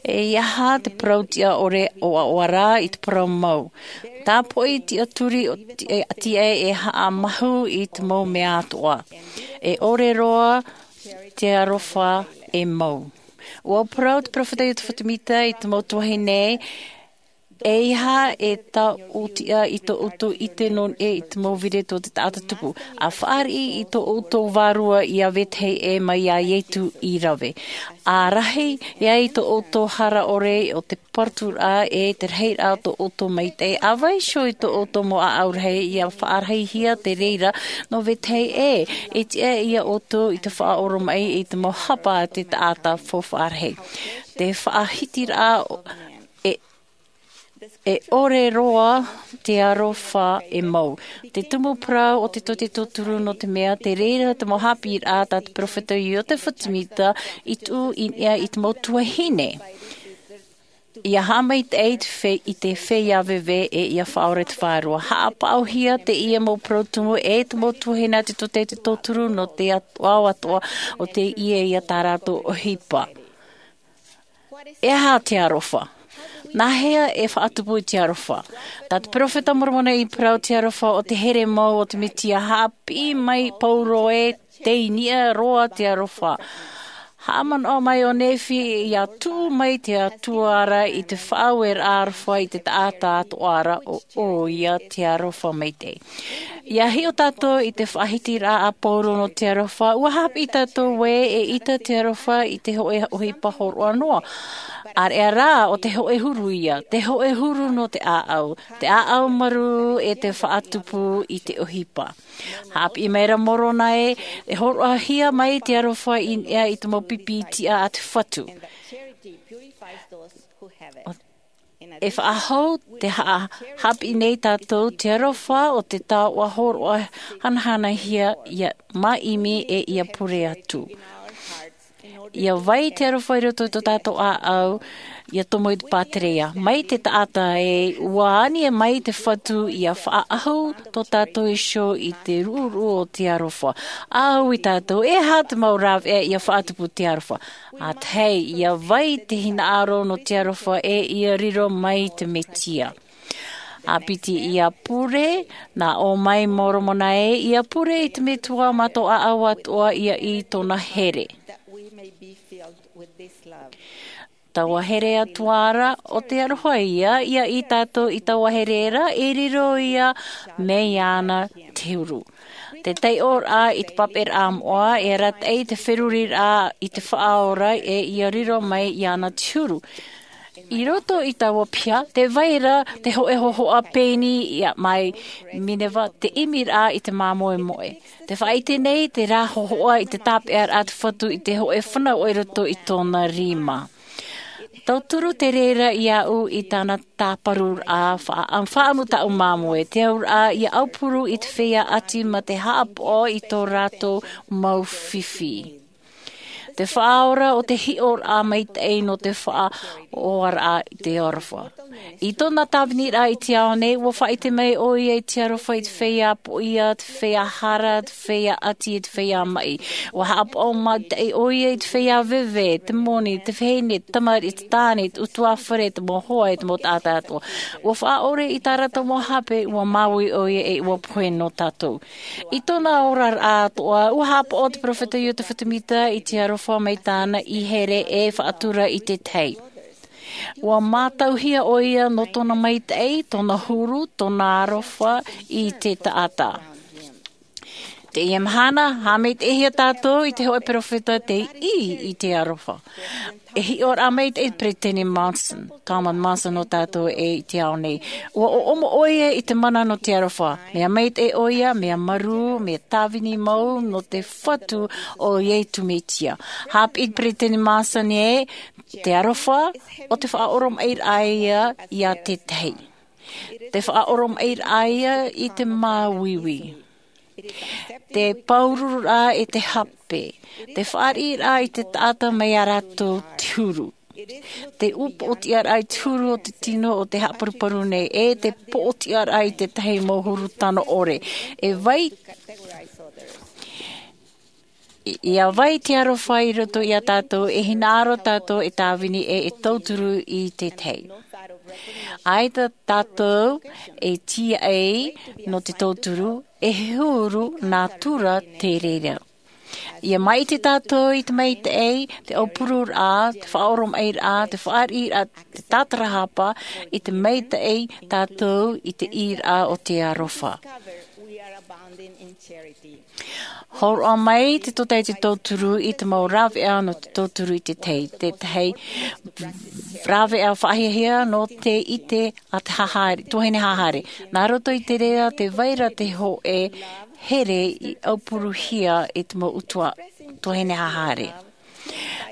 ʻEiaha te parau tiʻa ʻore ʻoaʻoa rā i te parau mau. Tāpoʻi tiʻaturi o ti-, e, tiʻa e haʻamahu i te mau mea atoʻa. E ʻore roa te aroha e mau. Ua parau te peropheta Iotefa Temita i te mau tuahine, ʻeiaha e taʻotiʻa i tō ʻoutou ʻite nō niʻa i te mau vīreti o te taʻata tupu. ʻA fāriʻi i tō ʻoutou vārua iā vetahi ʻē mai iā Ietu i rave. ʻA rahi ai tō ʻoutou hara ʻore o te paraturaʻa e te rahiraʻa o tō ʻoutou maitaʻi. ʻA vaiiho i tō ʻoutou mau ʻāʻau rahi ʻia faʻarahihia te reira nō vetahi ʻē. E tiʻa iā ʻoutou i te faʻaoromaʻi i te mau hapa a te taʻata faufaʻa rahi. Te faʻahitiraʻa e, e ʻore roa te aroha e mau. Te tumu parau o te tōtaiete tauturu nō te mea, te reira te mau haʻapiʻiraʻa tā te peropheta Iotefa Temita i tuʻu i niʻa i te mau tuahine. ʻIa haʻamaitaʻi i te fe-, i te feiā veve e ʻia faʻaora te vārua. Haʻapaʻohia teie mau parau tumu e te mau tuahine a te tōtaiete tauturu nō te at-, ao atoʻa o teie ia tā rātou ʻohipa. E aha te aroha? Nā hea e faʻatupu i te aroha? Tā te peropheta Moromona i parau te aroha o te here mau o te Mesia. Haʻapiʻi mai Paulo ē, tei niʻa roa te aroha. Haʻamanaʻo mai ʻo Nephi ʻia tuʻu mai te Atua ra i te faʻaueraʻa aroha i te taʻata atoʻa ra, ʻo ʻoia te aroha maitaʻi. ʻIa hiʻo tātou i te faʻahitiraʻa a Paulo nō te aroha, ʻua haʻapiʻi tātou ē, eʻita te aroha i te hōʻē ʻohipa hōroʻa noa. ʻĀreʻa rā ʻo te hōʻē huru ia, te hōʻē huru nō te ʻāʻau, te ʻāʻau marū e te faʻatupu i te ʻohipa. Haʻapiʻi mai ra Moromona ē, e hōroʻahia mai te aroha i niʻa i te mau pipi tiʻa a te Fatu. E faʻahou te ha-, haʻapiʻi nei tātou te aroha o te taoʻa hōroʻa hanahanahia ʻia māʻimi e ʻia pure atu. ʻIa vai te aroha i roto i tō tātou ʻāʻau, ʻia tomo i te pātereia. Mai te taʻata ē, ʻua ani mai te Fatu ʻia faʻaʻahu tō tātou iho i te ruʻuruʻu o te aroha. ʻA ui tātou, e aha te mau rāveʻa ʻia faʻatupu te aroha? ʻĀtahi, ʻia vai te hinaʻaro nō te aroha e ʻia riro mai te Mesia. ʻA piti ʻia pure, nā ʻō mai Moromona ē, ʻia pure i te Metua mā tō ʻāʻau atoʻa ʻia ʻī i tōna here. Taua here atoʻa ra, ʻo te aroha ia, ʻia ʻī tātou i taua here ra, e riro ia mai iāna te huru. Te taiʻoraʻa i te papaʻiraʻa moʻa, e arataʻi te feruriraʻa i te Faʻaora, e ʻia riro mai iāna te huru. I roto i taua piha, tē vai ra te hōʻē hōhoʻa pēni ia mai Mineva, te ʻimiraʻa i te māmoemoe. Tē faʻaʻite nei te rā hōhoʻa i te tāpeʻaraʻa a te Fatu i te hōʻē fanauʻa i roto i tōna rima. Tauturu te reira iāʻu i tāna tāparuraʻa faʻa-, faʻaʻamu tāʻu māmoe, te auraʻa ʻia aupuru i te feiā ʻati mā te haʻapaʻo i tō rātou mau fifi. Te faʻaora o te hiʻoraʻa maitaʻi nō te faʻaoaraʻa i te aroha. I tōna tāviniraʻa i te ao nei, ua faʻaʻite mai ʻoia i te aroha i te feiā poʻia, te feiā hara, te feiā ʻati, e te feiā maʻi. Ua haʻapaʻo maitaʻi ʻoia i te feiā veve, te moni, te vahine, te tamariʻi, te tāne, te ʻutuāfare, te mau hoa, e te mau taʻata atoʻa. Ua faʻaʻore i tā rātou mau hape, ua māuiui ʻoia e ua pohe nō tātou. I tōna oraraʻa atoʻa, ua haʻapaʻo te peropheta Iosepha Semita i te aroha mai tāna i here e faʻatura i te tahi. Ua mātauhia ʻoia nō tōna maitaʻi, tōna huru, tōna aroha i te taʻata. Teie mahana, haʻamaitaʻihia tātou i te hōʻē peropheta tei ʻī i te aroha. E hiʻoraʻa maitaʻi Peresideni Monson, Thomas Monson nō tātou ē i te ao nei. Ua ʻoʻomo ʻoia i te mana nō te aroha. Mea maitaʻi ʻoia, mea marū, mea tāvini mau nō te Fatu o Iesu Mesia. Haʻapiʻi Peresideni Monson ē, te aroha, ʻo te faʻaʻoromaʻiraʻa ia i te tahi. Te faʻaʻoromaʻiraʻa ia i te māuiui. Te pāururuʻa e te hape. Te fāriʻiraʻa i te taʻata mai iā rātou te huru. Te upoʻotiʻaraʻa i te huru o te tino o te haʻaparuparu nei, e te poʻotiʻaraʻa i te tahi mau huru tano ʻore. E vai, ia vai te aroha i roto iā tātou, e hinaʻaro tātou e tāvini e e tauturu i te tahi. ʻAita tātou e tīaʻi nō te tauturu, e huru nā tura te reira. Ia maʻiti tātou i te maitaʻi, te aupururaʻa, te faʻaʻoromaʻiraʻa, te fāriʻiraʻa, te tātarahapa, i te maitaʻi tātou i te ʻīraʻa o te aroha. Hōroʻa mai te tōtaiete tauturu i te mau rāveʻa nō te tauturu i te tahi, te tahi rāveʻa faʻahiahia nō te ʻite a te hahare, tuahine hahare. Nā roto i te reira te vai ra te hōʻē here i aupuruhia e te mau ʻutuāfare, tuahine hahare.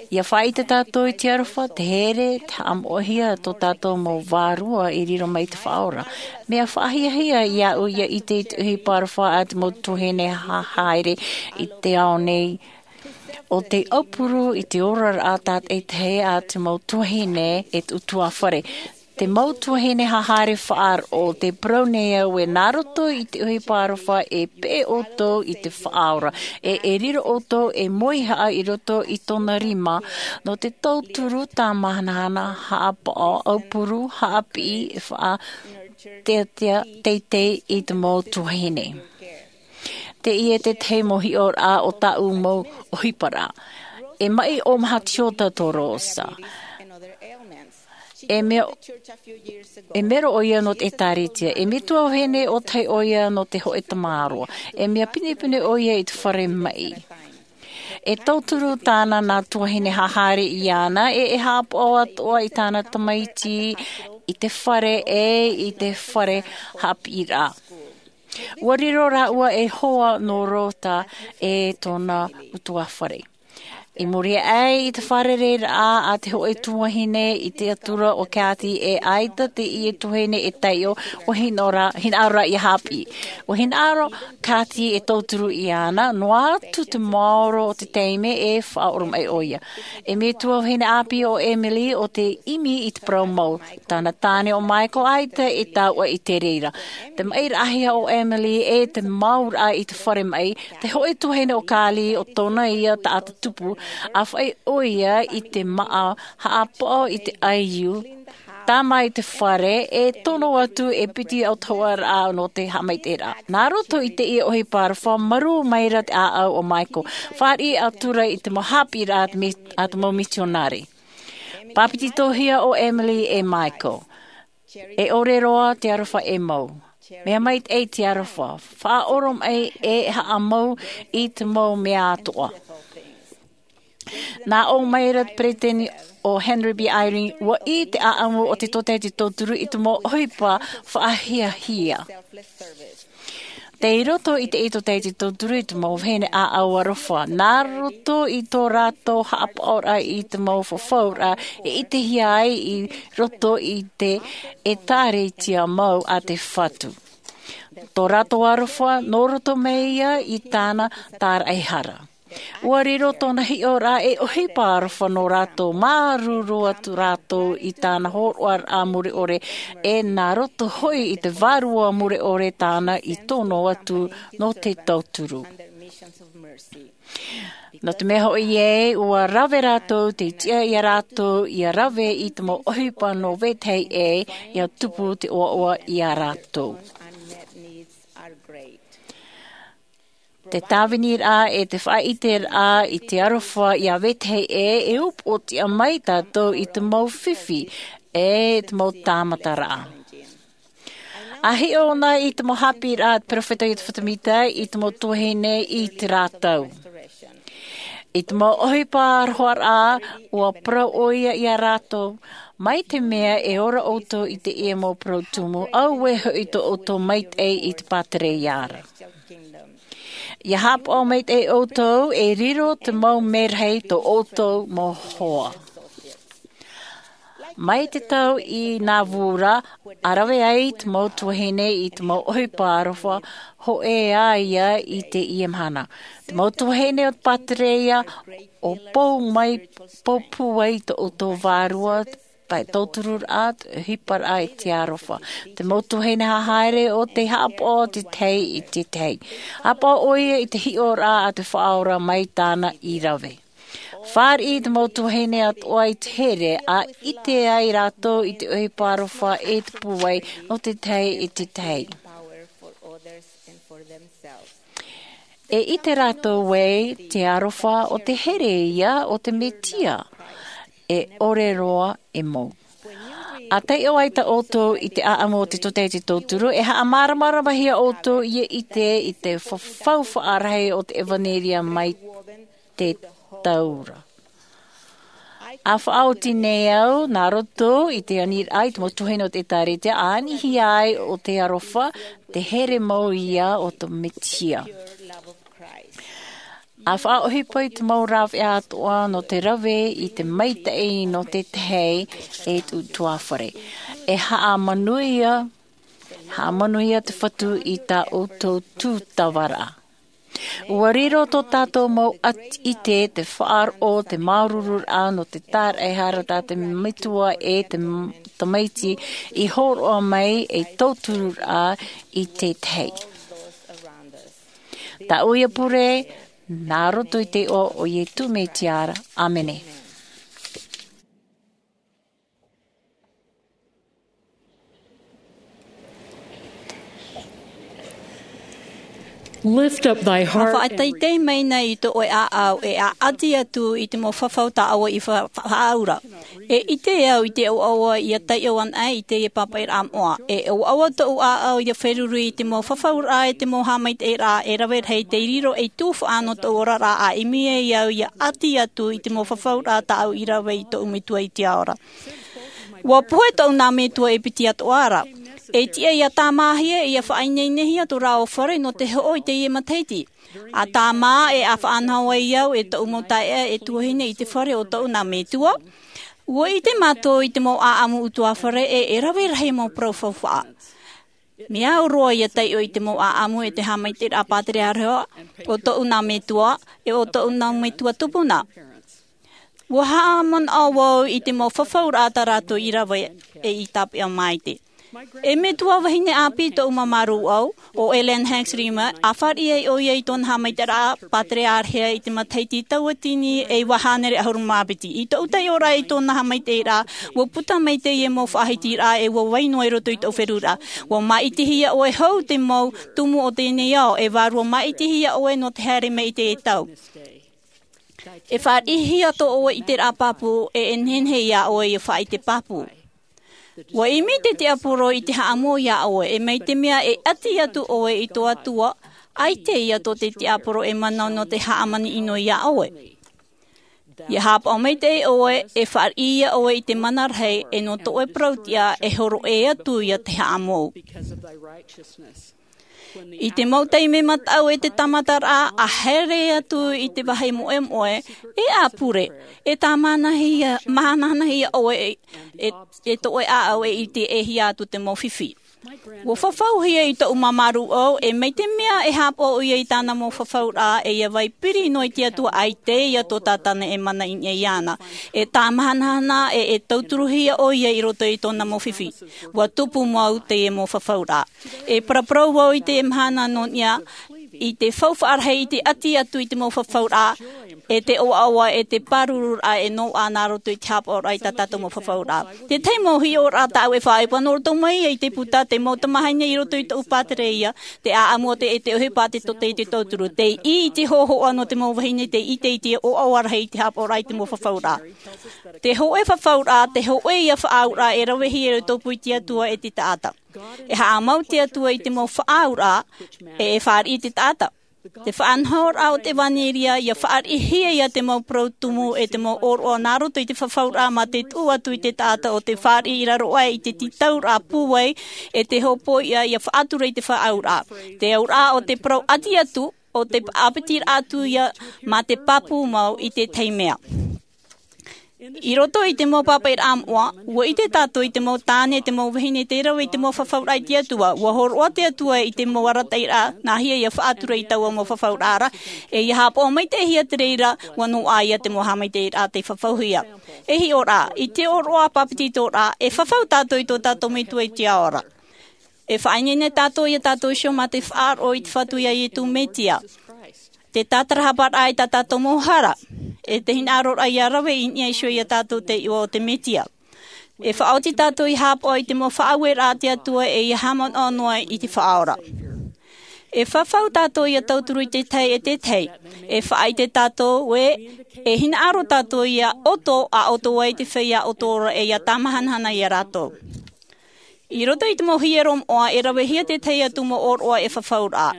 Ia faʻaʻite tātou i te aroha, te here, te haʻamoʻehia tō tātou mau vārua i riro mai te Faʻaora. Mea faʻahiahia iāʻu ia ʻite i te ʻohipa aroha a te mau tuahine hahare i te ao nei, ʻo te aupuru i te oraraʻa tātaʻitahi a te mau tuahine e te ʻutuāfare. Te mau tuahine hahare faʻaroʻo, tē parau nei au ē nā roto i te ʻohipa aroha e peʻe ʻoutou i te Faʻaora, e e riro ʻoutou e moihaʻa i roto i tōna rima, nō te tauturu tāmahanahana, haʻapaʻo, aupuru, haʻapiʻi, e faʻateitei i te mau tuahine. Teie te tahi mau hiʻoraʻa o tāʻu mau ʻohiparaʻa. E maʻi ʻo Mahatiota Torosa. E mea, e mero ʻoia nō te ʻĒtārētia. E metua vahine ʻo tahi ʻoia nō te hōʻē tamāroa. E mea pinepine ʻoia i te fare maʻi. E tauturu tāna nā tuahine hahare iāna, e e haʻapaʻo atoʻa i tāna tamaiti, i te fare, e i te fare haʻapiʻiraʻa. Ua riro rāua ei hoa nō Rota e tōna ʻutuāfare. I muri aʻe i te fārereiraʻa a te hōʻē tuahine i te atura o Kathy, e ʻaita teie tuahine e taiʻo, ua hinaʻaro, hinaʻaro ia haʻapiʻi. Ua hinaʻaro Kathy e tauturu iāna, noa atu te maoro o te taime e faʻaʻoromaʻi ʻoia. E metua vahine ʻāpī ʻo Emily ʻo tē ʻimi i te parau mau. Tāna tāne ʻo Michael ʻaita e taua i te reira. Te maʻiraʻahia o Emily e te mauraʻa i te fare maʻi, te hōʻē tuahine o Carly ʻo tōna ia taʻata tupu, ʻa faʻaʻī ʻoia i te māʻa haʻapaʻo i te ʻaiū, tāmā i te fare, e tono atu e piti autahuʻaraʻa nō te haʻamaitaʻiraʻa. Nā roto i teie ʻohipa aroha, marū maira te ʻāʻau o Michael, fāriʻi atura i te mau haʻapiʻiraʻa a te mi-, a te mau mitionare. Pāpetitohia ʻo Emily e Michael. E ʻore roa te aroha e mau. Mea maitaʻi te aroha. Faʻaʻoromaʻi e haʻamau i te mau mea atoʻa. Nā ʻō maira te peresideni ʻo Henry B. Eyring, ua ʻī te ʻāʻamu o te tōtaiete tauturu i te mau ʻohipa faʻahiahia. Tei roto i te tōtaiete tauturu i te mau vahine ʻāʻau aroha, nā roto i tō rātou haʻapaʻoraʻa i te mau fafauraʻa e ʻitehia ai i roto i te ʻĒtārētia mau a te Fatu. Tō rātou aroha, nō roto mai ia i tāna tāraʻehara. Ua riro tōna hiʻoraʻa ei ʻohipa aroha nō rātou, māuruuru atu rātou i tāna hōroʻaraʻa mure ʻore, e nā roto hoʻi i te vārua mure ʻore tāna i tono atu nō te tauturu. Nō te mea hoʻi ē, ua rave rātou te tiʻa ia rātou ia rave i te mau ʻohipa nō vetahi ʻē, ia tupu te ʻoaʻoa ia rātou. Te tāviniraʻa e te faʻaʻiteraʻa i te aroha ia vetahi ʻē, e upoʻotiʻa mai tātou i te mau fifi e te mau tāmataraʻa. A hiʻo na i te mau haʻapiʻiraʻa a te peropheta Iosefa Sāmita i te mau tuahine i te rātou. I te mau ʻohipa aroharaʻa, ua parau ʻoia ia rātou, mai te mea e ora ʻoutou i teie mau parau tumu, auē hoʻi tō ʻoutou maitaʻi i te pātereia ra. Ia haʻapaʻo maitaʻi ʻoutou, e riro te mau merahi tō ʻoutou mau hoa. Mai te tau i Nāvū ra, a rave ai te mau tuahine i te mau ʻohipa aroha, hōʻē ā ia i teie mahana. Te mau tuahine o te pātereia, ʻo pou mai, pou pūai tō ʻoutou vārua, pae tautururaʻa, ʻohiparaʻa i te aroha. Te mau tuahine haere o te haʻapaʻo te tahi i te tahi. Haʻapaʻo ʻoia i te hiʻoraʻa a te Faʻaora mai tāna i rave. Fāriʻi te mau tuahine atoʻa i te here, a ʻite ai rātou i te ʻohipa aroha e te pūai nō te tahi i te tahi. E ʻite rātou ē, te aroha o te here ia o te Mesia, e ʻore roa e mou. A taiʻo ai tā ʻoutou i te ʻāʻamu o te tōtaiete tauturu, e haʻamāramaramahia ʻoutou ia ʻite i te fafau faʻarahi o te ʻevanelia mai te taura. A faʻaoti nei au, nā roto i te aniraʻa i te mau tuahine o te ʻĒtārētia, a anihia ai o te aroha, te here mau ia o te Mesia. A faʻaʻohipa i te mau rāveʻa atoʻa nō te rave i te maitaʻi nō te tahi e te ʻutuāfare. E haʻamanuia, haʻamanuia te Fatu i tā ʻoutou tūtavaraʻa. Ua riro tō tātou mau ʻati-, ʻite te faʻaroʻo, te māuruururaʻa nō te tāraʻehara tā te Metua e te m-, tamaiti i hōroʻa mai e tautururaʻa i te tahi. Tāʻu ia pure, nā roto i te iʻoa o Iesu Mesia ra. ʻĀmene. Lift up thy heart. Faʻateitei mai na i tō ʻoe ʻāʻau, e ʻaʻati atu i te mau fafau tā ʻoe i fa-, fa-, faʻaura. E ʻite au i te ʻoaʻoa ia taiʻo ana ai i teie pāpaʻiraʻa moʻa. E ʻoaʻoa tōʻu ʻāʻau ia feruri i te mau fafauraʻa e te mau haʻamaitaʻiraʻa e rave rahi tei riro ei tuhaʻa nō tōʻu oraraʻa, a ʻimi ai au ia ʻati atu i te mau fafauraʻa tāʻu i rave i tōʻu Metua i te ao ra. Ua pohe tōʻu nā metua e piti atoʻa ra. E tiʻa ia tāmāhia, ia faʻaineinehia tō rāua fare nō te hoʻo i teie matahiti. A tāmā e a faʻanaho ai au e tōʻu mau taeaʻe e tuahine i te fare o tōʻu nā metua. Ua ʻite mātou i te mau ʻāʻamu ʻutuāfare e, e rave rahi mau parau faufaʻa. Mea au roa ia taiʻo i te mau ʻāʻamu e te haʻamaitaʻiraʻa pātereareha o tōʻu nā metua, e o tōʻu nā metua tupuna. Ua haʻamanaʻo vau i te mau fafauraʻa tā rātou i rave e i tāpeʻa maite. E metua vahine ʻāpī tōʻu māmā rūʻau, ʻo Ellen Hanks Riemer, a fāriʻi ai ʻoia i tōna haʻamaitaʻiraʻa pātereareha i te matahiti tauatini e iva hānere ʻahuru mā piti. I tōʻu taiʻoraʻa i tōna haʻamaitaʻiraʻa, ua puta mai teie mau faʻahitiraʻa e ua vai noa i roto i tōʻu feruriraʻa. Ua māʻitihia ʻoe hou te mau tumu o teie nei ao, e vārua māʻitihia ʻoe nō te haere mai i teie tau. E fāriʻihia tō ʻoe ʻiteraʻa pāpū, e, e nehenehe ia ʻoe ia faʻaʻite pāpū. Ua ʻimi te tiaporo i te haʻamou ia ʻoe, e mai te mea e ʻati atu ʻoe i tō Atua, ʻaita ia tō te tiaporo e manaʻo nō te hāmani ʻino ia ʻoe. Ia haʻapaʻo maitaʻi ʻoe, e fāriʻi ia ʻoe i te mana rahi, e nō tō ʻoe parau-tiʻa e hōroʻa atu ia te haʻamou. I te mau taime mataʻu e te tāmataraʻa, a haere atu i te vāhi moʻemoʻe, e a pure, e tāmānahia, māhanahana ia ʻoe, e, e, e tō ʻoe ʻāʻau e ʻite e hia atu te mau fifi. Ua fafauhia i tōʻu māmā rūʻau, e mai te mea e hāpaʻo ʻoia i tāna mau fafauraʻa, e ia vai piri noa i te Atua, ʻaita ia tō tātana e mana i niʻa iāna. E tāmahanahana, e, e tauturuhia ʻoia i roto i tōna mau fifi. Ua tupu mau teie mau fafauraʻa. E paraparau vau i te mahana nō niʻa, i te faufaʻa rahi, i te ʻati atu i te mau fafauraʻa, e te ʻoaʻoa, e te pārururaʻa e noaʻa nā roto i te hāpaʻoraʻa i tā tātou mau fafauraʻa. Te tahi mau hiʻoraʻa tāʻu e faʻaʻohipa nō roto mai i te puta, te mau tamāhine i roto i tōʻu pātereia, te ʻāʻamu o te, e te ʻohipa te tōtaiete tauturu. Tei ʻī i te hōhoʻa nō te mau vahine, tei ʻite i te ʻoaʻoa rahi i te hāpaʻoraʻa i te mau fafauraʻa. Te hōʻē fafauraʻa, te hōʻē ia faʻaauraʻa e ravehia i te tōpū i te Atua e te taʻata. E haʻamau te Atua i te mau faʻaauraʻa, e, e fāriʻi i te taʻata. Te faʻanahoraʻa o te ʻevanelia, ia fāriʻihia ia te mau parau tumu e te mau ʻōroʻa nā roto i te fafauraʻa mā te tuʻu atu i te taʻata ʻo te fāriʻi i raro aʻe i te tītauraʻa pūai, e te hōpoiʻa ia faʻatura i te faʻaauraʻa. Te auraʻa o te parau ʻati atu, ʻo te ʻāpitiraʻa atu ia mā te pāpū mau i te tahi mea. I roto i te mau pāpaʻiraʻa moʻa, ua ʻite tātou i te mau tāne, te mau vahine, tei rave i te mau fafauraʻa i te Atua. Ua hōroʻa te Atua i te mau arataʻiraʻa, nāhea ia faʻatura i taua mau fafauraʻa ra, e ia hāpaʻo maitaʻihia te reira, ua noaʻa ia te mau haʻamaitaʻiraʻa tei fafauhia. E hiʻoraʻa, i te ʻōroʻa pāpetitoraʻa, e fafau tātou i tō tātou Metua i te ao ra. E faʻaineine tātou ia tātou iho mā te faʻaroʻo i te Fatu ia Ietu Metia. Te tātarahaparaʻa i tā tātou mau hara. E te hinaʻaroraʻa ia rave i niʻa iho ia tātou te iʻoa o te Metia. E faʻaoti tātou ia hāpaʻo i te mau faʻaueraʻa a te Atua e ia haʻamanaʻo noa i te Faʻaora. E fafau tātou ia tauturu i te tahi e te tahi. E faʻaʻite tātou ē, e hinaʻaro tātou ia ʻoto, ʻa ʻoto ai te feiā ʻoto ra e ia tāmahanahana ia rātou. I roto i te mau hiero moʻa, e ravehia te tahi atu mau ʻōroʻa e fafauraʻa.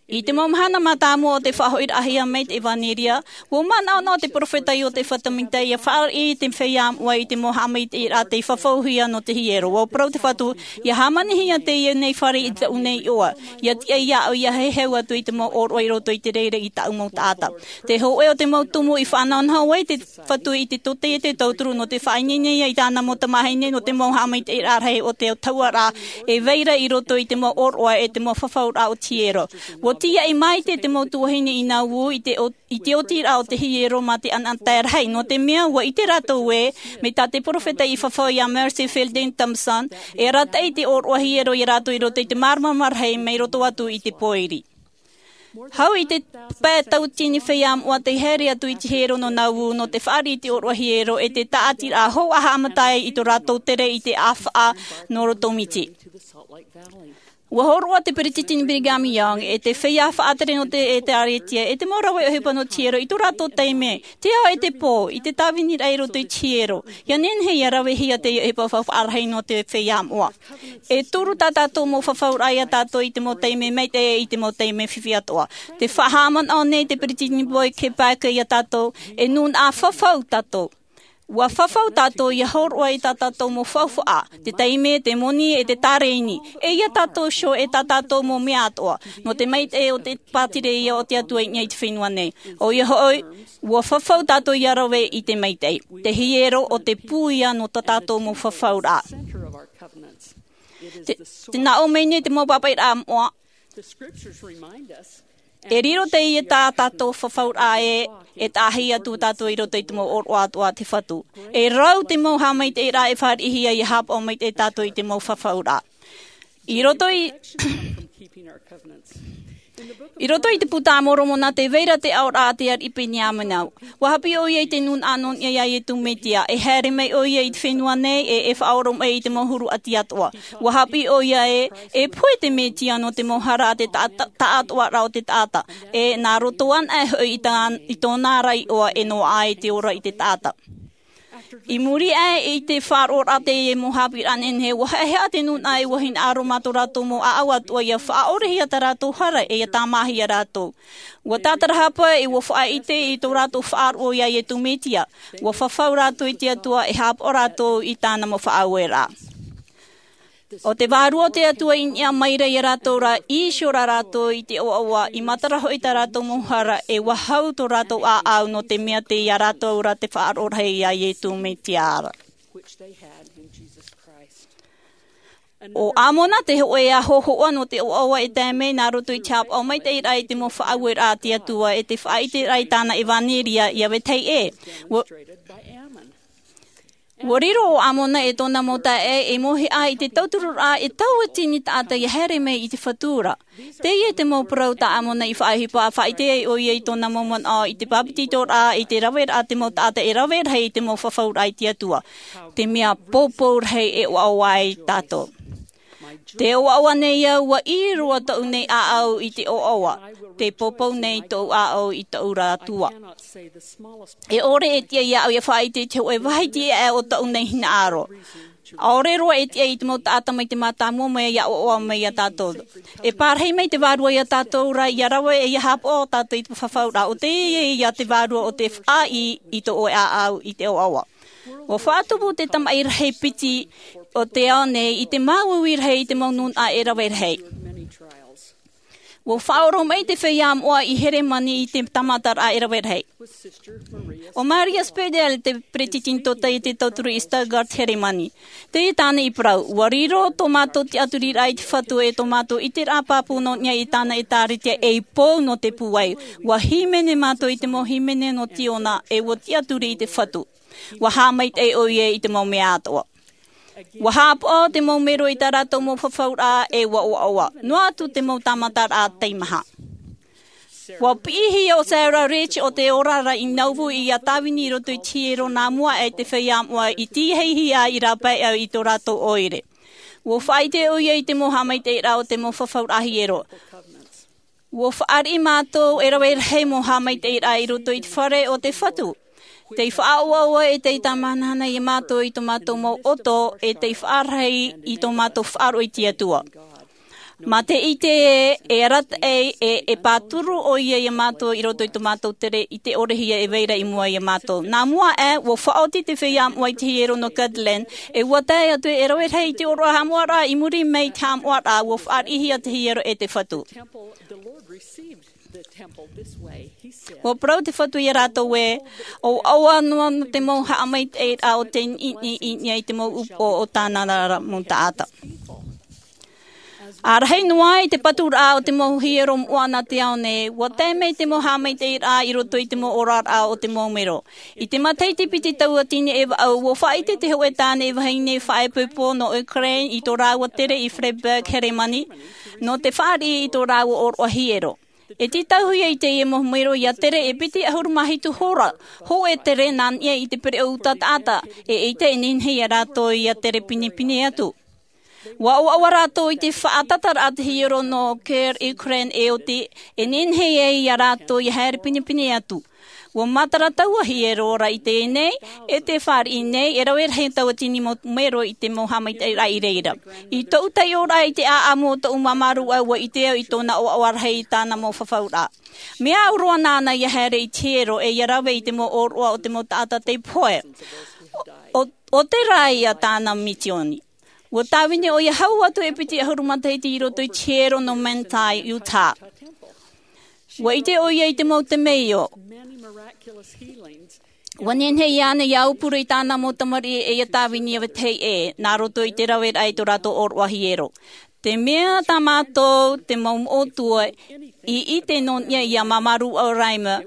I te mau mahana mātāmua o te faʻahoʻiraʻahia mai te ʻevanelia, ua manaʻonaʻo te perofeta Iotefa Samita ia fāriʻi te feiā moʻa i te mau haʻamaitaʻiraʻa tei fafauhia nō te hiero. Ua parau te Fatu, ia hāmanihia teie nei fare i taʻu nei iʻoa. Ia tiʻa iāʻu ia heheu atu i te mau ʻōroʻa i roto i te reira i taʻu mau taʻata. Te hōʻē o te mau tumu i faʻanahonaho ai te Fatu i te tōtaiete tauturu nō te faʻaineine ia i tāna mau tamāhine nō te mau haʻamaitaʻiraʻa rahi o te taua ra, e vai ra i roto i te mau ʻōroʻa e te mau fafauraʻa o te hiero. Ua tīaʻi maite te mau tuahine i Nauvoo i te ʻo-, i te otiraʻa o te hiero mā te ʻanaʻanatae rahi, nō te mea ua ʻite rātou ē, mai tā te perofeta i fafau ia Mercy Fielding Thompson, e arataʻi te ʻōroʻa hiero ia rātou i roto i te māramarama rahi mai roto atu i te pōiri. Hau i te pae tauatini feiā moʻa tei haere atu i te hiero nō Nauvoo nō te fāriʻi i te ʻōroʻa hiero e te tāʻatiraʻa hou ʻa haʻamata ai i tō rātou tere i te ʻāfaʻa nō roto miti. Ua hōroʻa te Peretiteni Brigham Young, e te feiā faʻatere nō te ʻĒtārētia, e te mau rave ʻohipa nō te hiero i tō rātou taime, te ao e te pō, i te tāviniraʻa i roto i te hiero. Ia nehenehe ia ravehia te ʻohipa faufaʻa rahi nō te feiā moʻa. E toru tā tātou mau fafauraʻa ia tātou i te mau taime maitaʻi, i te mau taime fifi atoʻa. Tē faʻahaʻamanaʻo nei te Peretiteni Boyd K. Packer ia tātou, e nūnaʻa fafau tātou. Ua fafau tātou ia hōroʻa i tā tātou mau faufaʻa, te taime, te moni, e te tārēni. E ia tātou iho e tā tātou mau mea atoʻa. Nō te maitaʻi o te pātireia o te Atua i niʻa i te fenua nei. ʻOia hoʻi, ua fafau tātou ia rave i te maitaʻi. Te hiero ʻo te pū ia nō tā tātou mau fafauraʻa. Te, tē nā ʻō mai nei te mau pāpaʻiraʻa moʻa. E riro teie tā tātou fafauraʻa ē, e tahi atu tātou i roto i te mau ʻōroʻa atoʻa a te Fatu. E rau te mau haʻamaitaʻiraʻa e fāriʻihia ia hāpaʻo maitaʻi tātou i te mau fafauraʻa. I roto i, i roto i te Puta a Moromona, tē vai ra te aoraʻa a te ariʻi Peniamina. Ua haʻapiʻi ʻoia i te nūnaʻa nō niʻa iā Iesu Mesia, e haere mai ʻoia i te fenua nei, e, e faʻaoromaʻi i te mau huru ʻati atoʻa. Ua haʻapiʻi ʻoia ē, e pohe te Mesia nō te mau hara a te ta-, ta-, taʻatoʻaraʻa o te taʻata. E nā roto anaʻe hoʻi i tā-, i tōna ra iʻoa e noaʻa ai te ora i te taʻata. I muri aʻe i te faʻaroʻoraʻa teie mau haʻapiʻiraʻa nehenehe, ua haʻehaʻa te nūnaʻa e ua hinaʻaro mā tō rātou mau ʻāʻau atoʻa ia faʻaʻorehia tā rātou hara e ia tāmāhia rātou. Ua tātarahapa e ua faʻaʻite i tō rātou faʻaroʻo iā Iesu Mesia. Ua fafau rātou i te Atua e hāpaʻo rātou i tāna mau faʻaueraʻa. ʻO te Vārua o te Atua i niʻa mai ra iā rātou ra, i hiʻo rā rātou i te ʻoaʻoa, i matara hoʻi tā rātou mau hara, e ua hau tō rātou ʻāʻau, nō te mea tei iā rātou ra te faʻaroʻo rahi iā Iesu Mesia ra. Which they had in Jesus Christ. ʻO Amona te hōʻē ā hōhoʻa nō te ʻoaʻoa e tae mai nā roto i te haʻapaʻo maitaʻiraʻa i te mau faʻaueraʻa a te Atua e te faʻaʻiteraʻa i tāna ʻevanelia ia vetahi ʻē. Ua, ua riro ʻo Amona e tōna mau taeaʻe e mōhia i te tauturuʻraʻa e tauatini taʻata ia haere mai i te fatu ra. Teie te mau parau tā Amona i faʻaʻohipa, faʻaʻite ai ʻoia i tōna mau manaʻo i te pāpetitoraʻa, i te raveraʻa te mau taʻata e rave rahi i te mau fafauraʻa i te Atua. Te mea poupou rahi e ʻoaʻoa ai tātou. Te ʻoaʻoa nei au, ua ʻī roa tōʻu nei ʻāʻau i te ʻoaʻoa. Te poupou nei tōʻu ʻāʻau i tōʻu ra Atua. E ʻore e tiʻa iāʻu ia faʻaʻite i te hōʻē vāhi tiʻa o tōʻu nei hinaʻaro. ʻAore roa e tiʻa i te mau taʻata mai te mātāmua mai ia ʻoaʻoa mai ia tātou. E pārahi mai te Vārua ia tātou ra ia rave e ia haʻapaʻo tātou i te fafauraʻa. ʻO teie ia te Vārua o te faʻaʻī i tō ʻoe ʻāʻau i te ʻoaʻoa. Ua faʻatupu te tamaʻi rahi piti o te ao nei i te māuiui rahi i te mau nūnaʻa e rave rahi. Ua faʻaoromaʻi te feiā moʻa i Heremani i te tāmataraʻa e rave rahi. ʻO Maria Speidel te peretiteni tōtaiete tauturu i Stuttgart, Heremani. Teie tāna i parau, ua riro tō mātou tiʻaturiraʻa i te Fatu e tō mātou ʻiteraʻa pāpū nō niʻa i tāna ʻĒtārētia ei pou nō te pūai. Ua hīmene mātou i te mau hīmene nō Tiona e ua tiʻaturi i te Fatu. Ua haʻamaitaʻi ʻoia i te mau mea atoʻa. Ua haʻapaʻo te mau mero i tā rātou mau fafauraʻa e ua ʻoaʻoa. Noa atu te mau tāmataraʻa teimaha. Ua piʻihia ʻo Sarah Rich o te oraraʻa i Nauvoo ia tāvini i roto i te hiero nā mua aʻe te feiā moʻa i tīaʻihia i rāpae au i tō rātou ʻoire. Ua faʻaʻite ʻoia i te mau haʻamaitaʻiraʻa o te mau fafauraʻa hiero. Ua fāriʻi mātou e rave rahi mau haʻamaitaʻiraʻa i roto i te fare o te Fatu. Tei faʻaʻoaʻoa e tei tāmahanahana ia mātou i tō mātou mau ʻoto, e tei faʻarahi i tō mātou faʻaroʻo i te Atua. Mā te ʻite ē, e arataʻi, e, e pāturu ʻoia ia mātou i roto i tō mātou tere i te ʻorehia e vai ra i mua ia mātou. Nā mua aʻe, ua faʻaoti te feiā moʻa i te hiero nō Kirtland, e ua tae atu e rave rahi i te ʻōroʻa haʻamoʻaraʻa i muri mai i te haʻamoʻaraʻa, ua fāriʻihia te hiero e te Fatu. Ua parau te Fatu ia rātou ē, ʻoaʻoa noa nō te mau haʻamaitaʻiraʻa o te niʻiniʻi i niʻa i te mau upoʻo o tāna ra mau taʻata. ʻA rahi noa i te paturaʻa o te mau hiero moʻa nā te ao nei, ua tae mai te mau haʻamaitaʻiraʻa i roto i te mau oraraʻa o te mau mero. I te matahiti piti tauatini e vaʻu, ua faʻaʻite te hōʻē tāne e vahine faʻaipoipo nō Ukraine i tō rāua tere i Freiberg, Heremani, nō te fāriʻi i tō rāua ʻōroʻa hiero. E tītauhia i teie mau mero ia tere e piti ʻahuru mā hitu hora, hōʻē tere nā niʻa i te pereʻoʻo uta taʻata, e ʻeita e nehenehe ia rātou ia tere pinepine atu. Ua ʻoaʻoa rātou i te faʻatataraʻa te hiero nō Kyiv, Ukraine e oti, e nehenehe ai ia rātou ia haere pinepine atu. Ua matara taua hiero ra i teie nei, e te fāriʻi nei, e rave rahi tauatini mau mero i te mau haʻamaitaʻiraʻa i reira. I tōʻu taiʻoraʻa i te ʻāʻamu o tōʻu māmā rūʻau, ua ʻite au i tōna ʻoaʻoa rahi i tāna mau fafauraʻa. Mea au roa nāna ia haere i te hiero e ia rave i te mau ʻōroʻa o te mau taʻata tei pohe. ʻO, ʻo tērā ia tāna misioni. Ua tāvini ʻoia hau atu e piti ʻahuru matahiti i roto i te hiero nō Manti, Utah. Ua ʻite ʻoia i te mau temeio. Ua nehenehe ānei ia aupuru i tāna mau tamariʻi e ia tāvini ia vetahi ʻē, nā roto i te raveraʻa i tō rātou ʻōroʻa hiero. Te mea tā mātou, te mau moʻotua, i ʻite nō niʻa ia māmā rūʻau Reimer,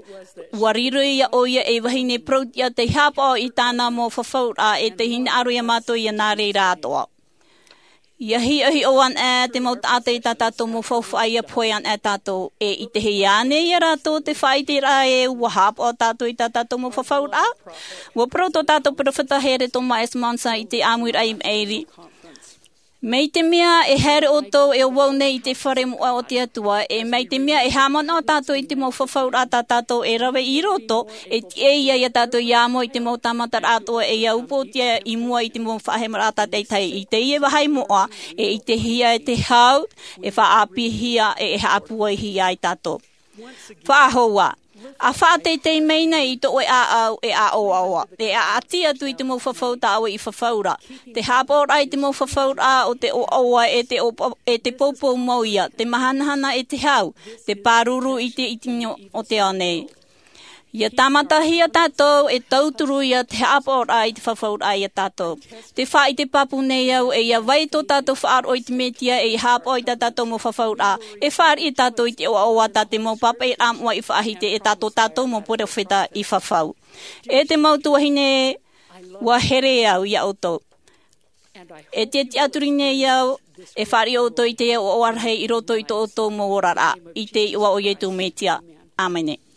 ua riro ia ʻoia ei vahine parau-tiʻa tei haʻapaʻo i tāna mau fafauraʻa e tei hinaʻaro ia mātou ia nā reira atoʻa. Ia hiʻohiʻo ana ʻē te mau taʻata i tā tātou mau faufaʻa ia pohe ana ʻē tātou, e ʻitehia ānei ia rātou te faʻaʻiteraʻa ē ua haʻapaʻo tātou i tā tātou mau fafauraʻa? Ua parau tō tātou peropheta here Thomas S. Monson i te ʻāmuiraʻa i maʻiri. Mai te mea e haere ʻoutou e ʻo vau nei i te fare moʻa o te Atua, e mai te mea e haʻamanaʻo tātou i te mau fafauraʻa tā tātou e rave i roto, e tiʻa ia tātou ia amo i te mau tāmataraʻa atoʻa e ia upoʻotia i mua i te mau faʻahemaraʻa tātaʻitahi. I teie vāhi moʻa, e ʻitehia e te hau, e faʻaʻāpīhia, e, e haʻapūaihia ai tātou. Faʻahou ā, ʻa faʻateitei mai nei i tō ʻoe ʻāʻau e ʻāʻoaʻoa, e ʻaʻati atu i te mau fafau tā ʻoe i fafau ra. Te haʻapaʻoraʻa i te mau fafauraʻa o te ʻoaʻoa e te ʻopa-, e te poupou mau ia, te mahanahana e te hau, te pāruru i te iti o te ao nei. Ia tāmatahia tātou e tauturu ia te haʻapaʻoraʻa i te fafauraʻa ia tātou. Te faʻaʻite pāpū nei au, e ia vai tō tātou faʻaroʻo i te Mesia, e ia haʻapaʻo i tā tātou mau fafauraʻa, e fāriʻi tātou i te ʻoaʻoa tā te mau pāpaʻiraʻa moʻa i faʻahiti, e tā tō tātou mau peropheta i fafau. E te mau tuahine, ʻua here au ia ʻoutou. E te tiʻaturi nei au, e fāriʻi ʻoutou i te ʻoaʻoa rahi i roto i tō ʻoutou mau oraraʻa, i te iʻoa o Iesu Mesia. ʻĀmene.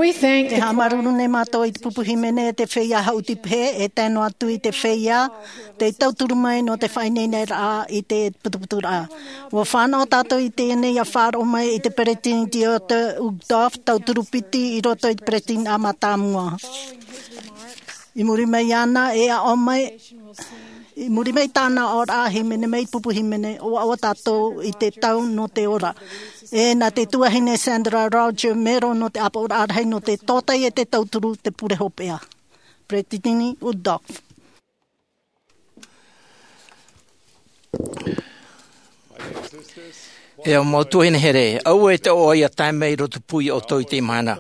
We thank E the haʻamāuruuru nei mātou i te pupu hīmene, te feiā hauti pehe, e tae noa atu i te feiā tei tauturu mai nō te faʻaineineraʻa i te putuputuraʻa. ʻUa fānaʻo tātou i teie nei ʻia faʻaroʻo mai i te peretiteni Dieter Uchtdorf, tauturu piti i roto i te peretiteniraʻa mātāmua. I muri mai iāna, e aʻo mai, i muri mai tāna aʻoraʻa hīmene mai, pupu hīmene, ʻua ʻoaʻoa tātou i te tau nō te ora. E nā te tuahine Sandra Rogers Merrill nō te ʻāpoʻoraʻa rahi nō te tōtaiete tauturu te pure hopeʻa. Peretiteni Uchtdorf. E au mau tuahine here, aua e te ʻoaʻoa ʻia tae mai i roto pū ia ʻoutou i teie mahana.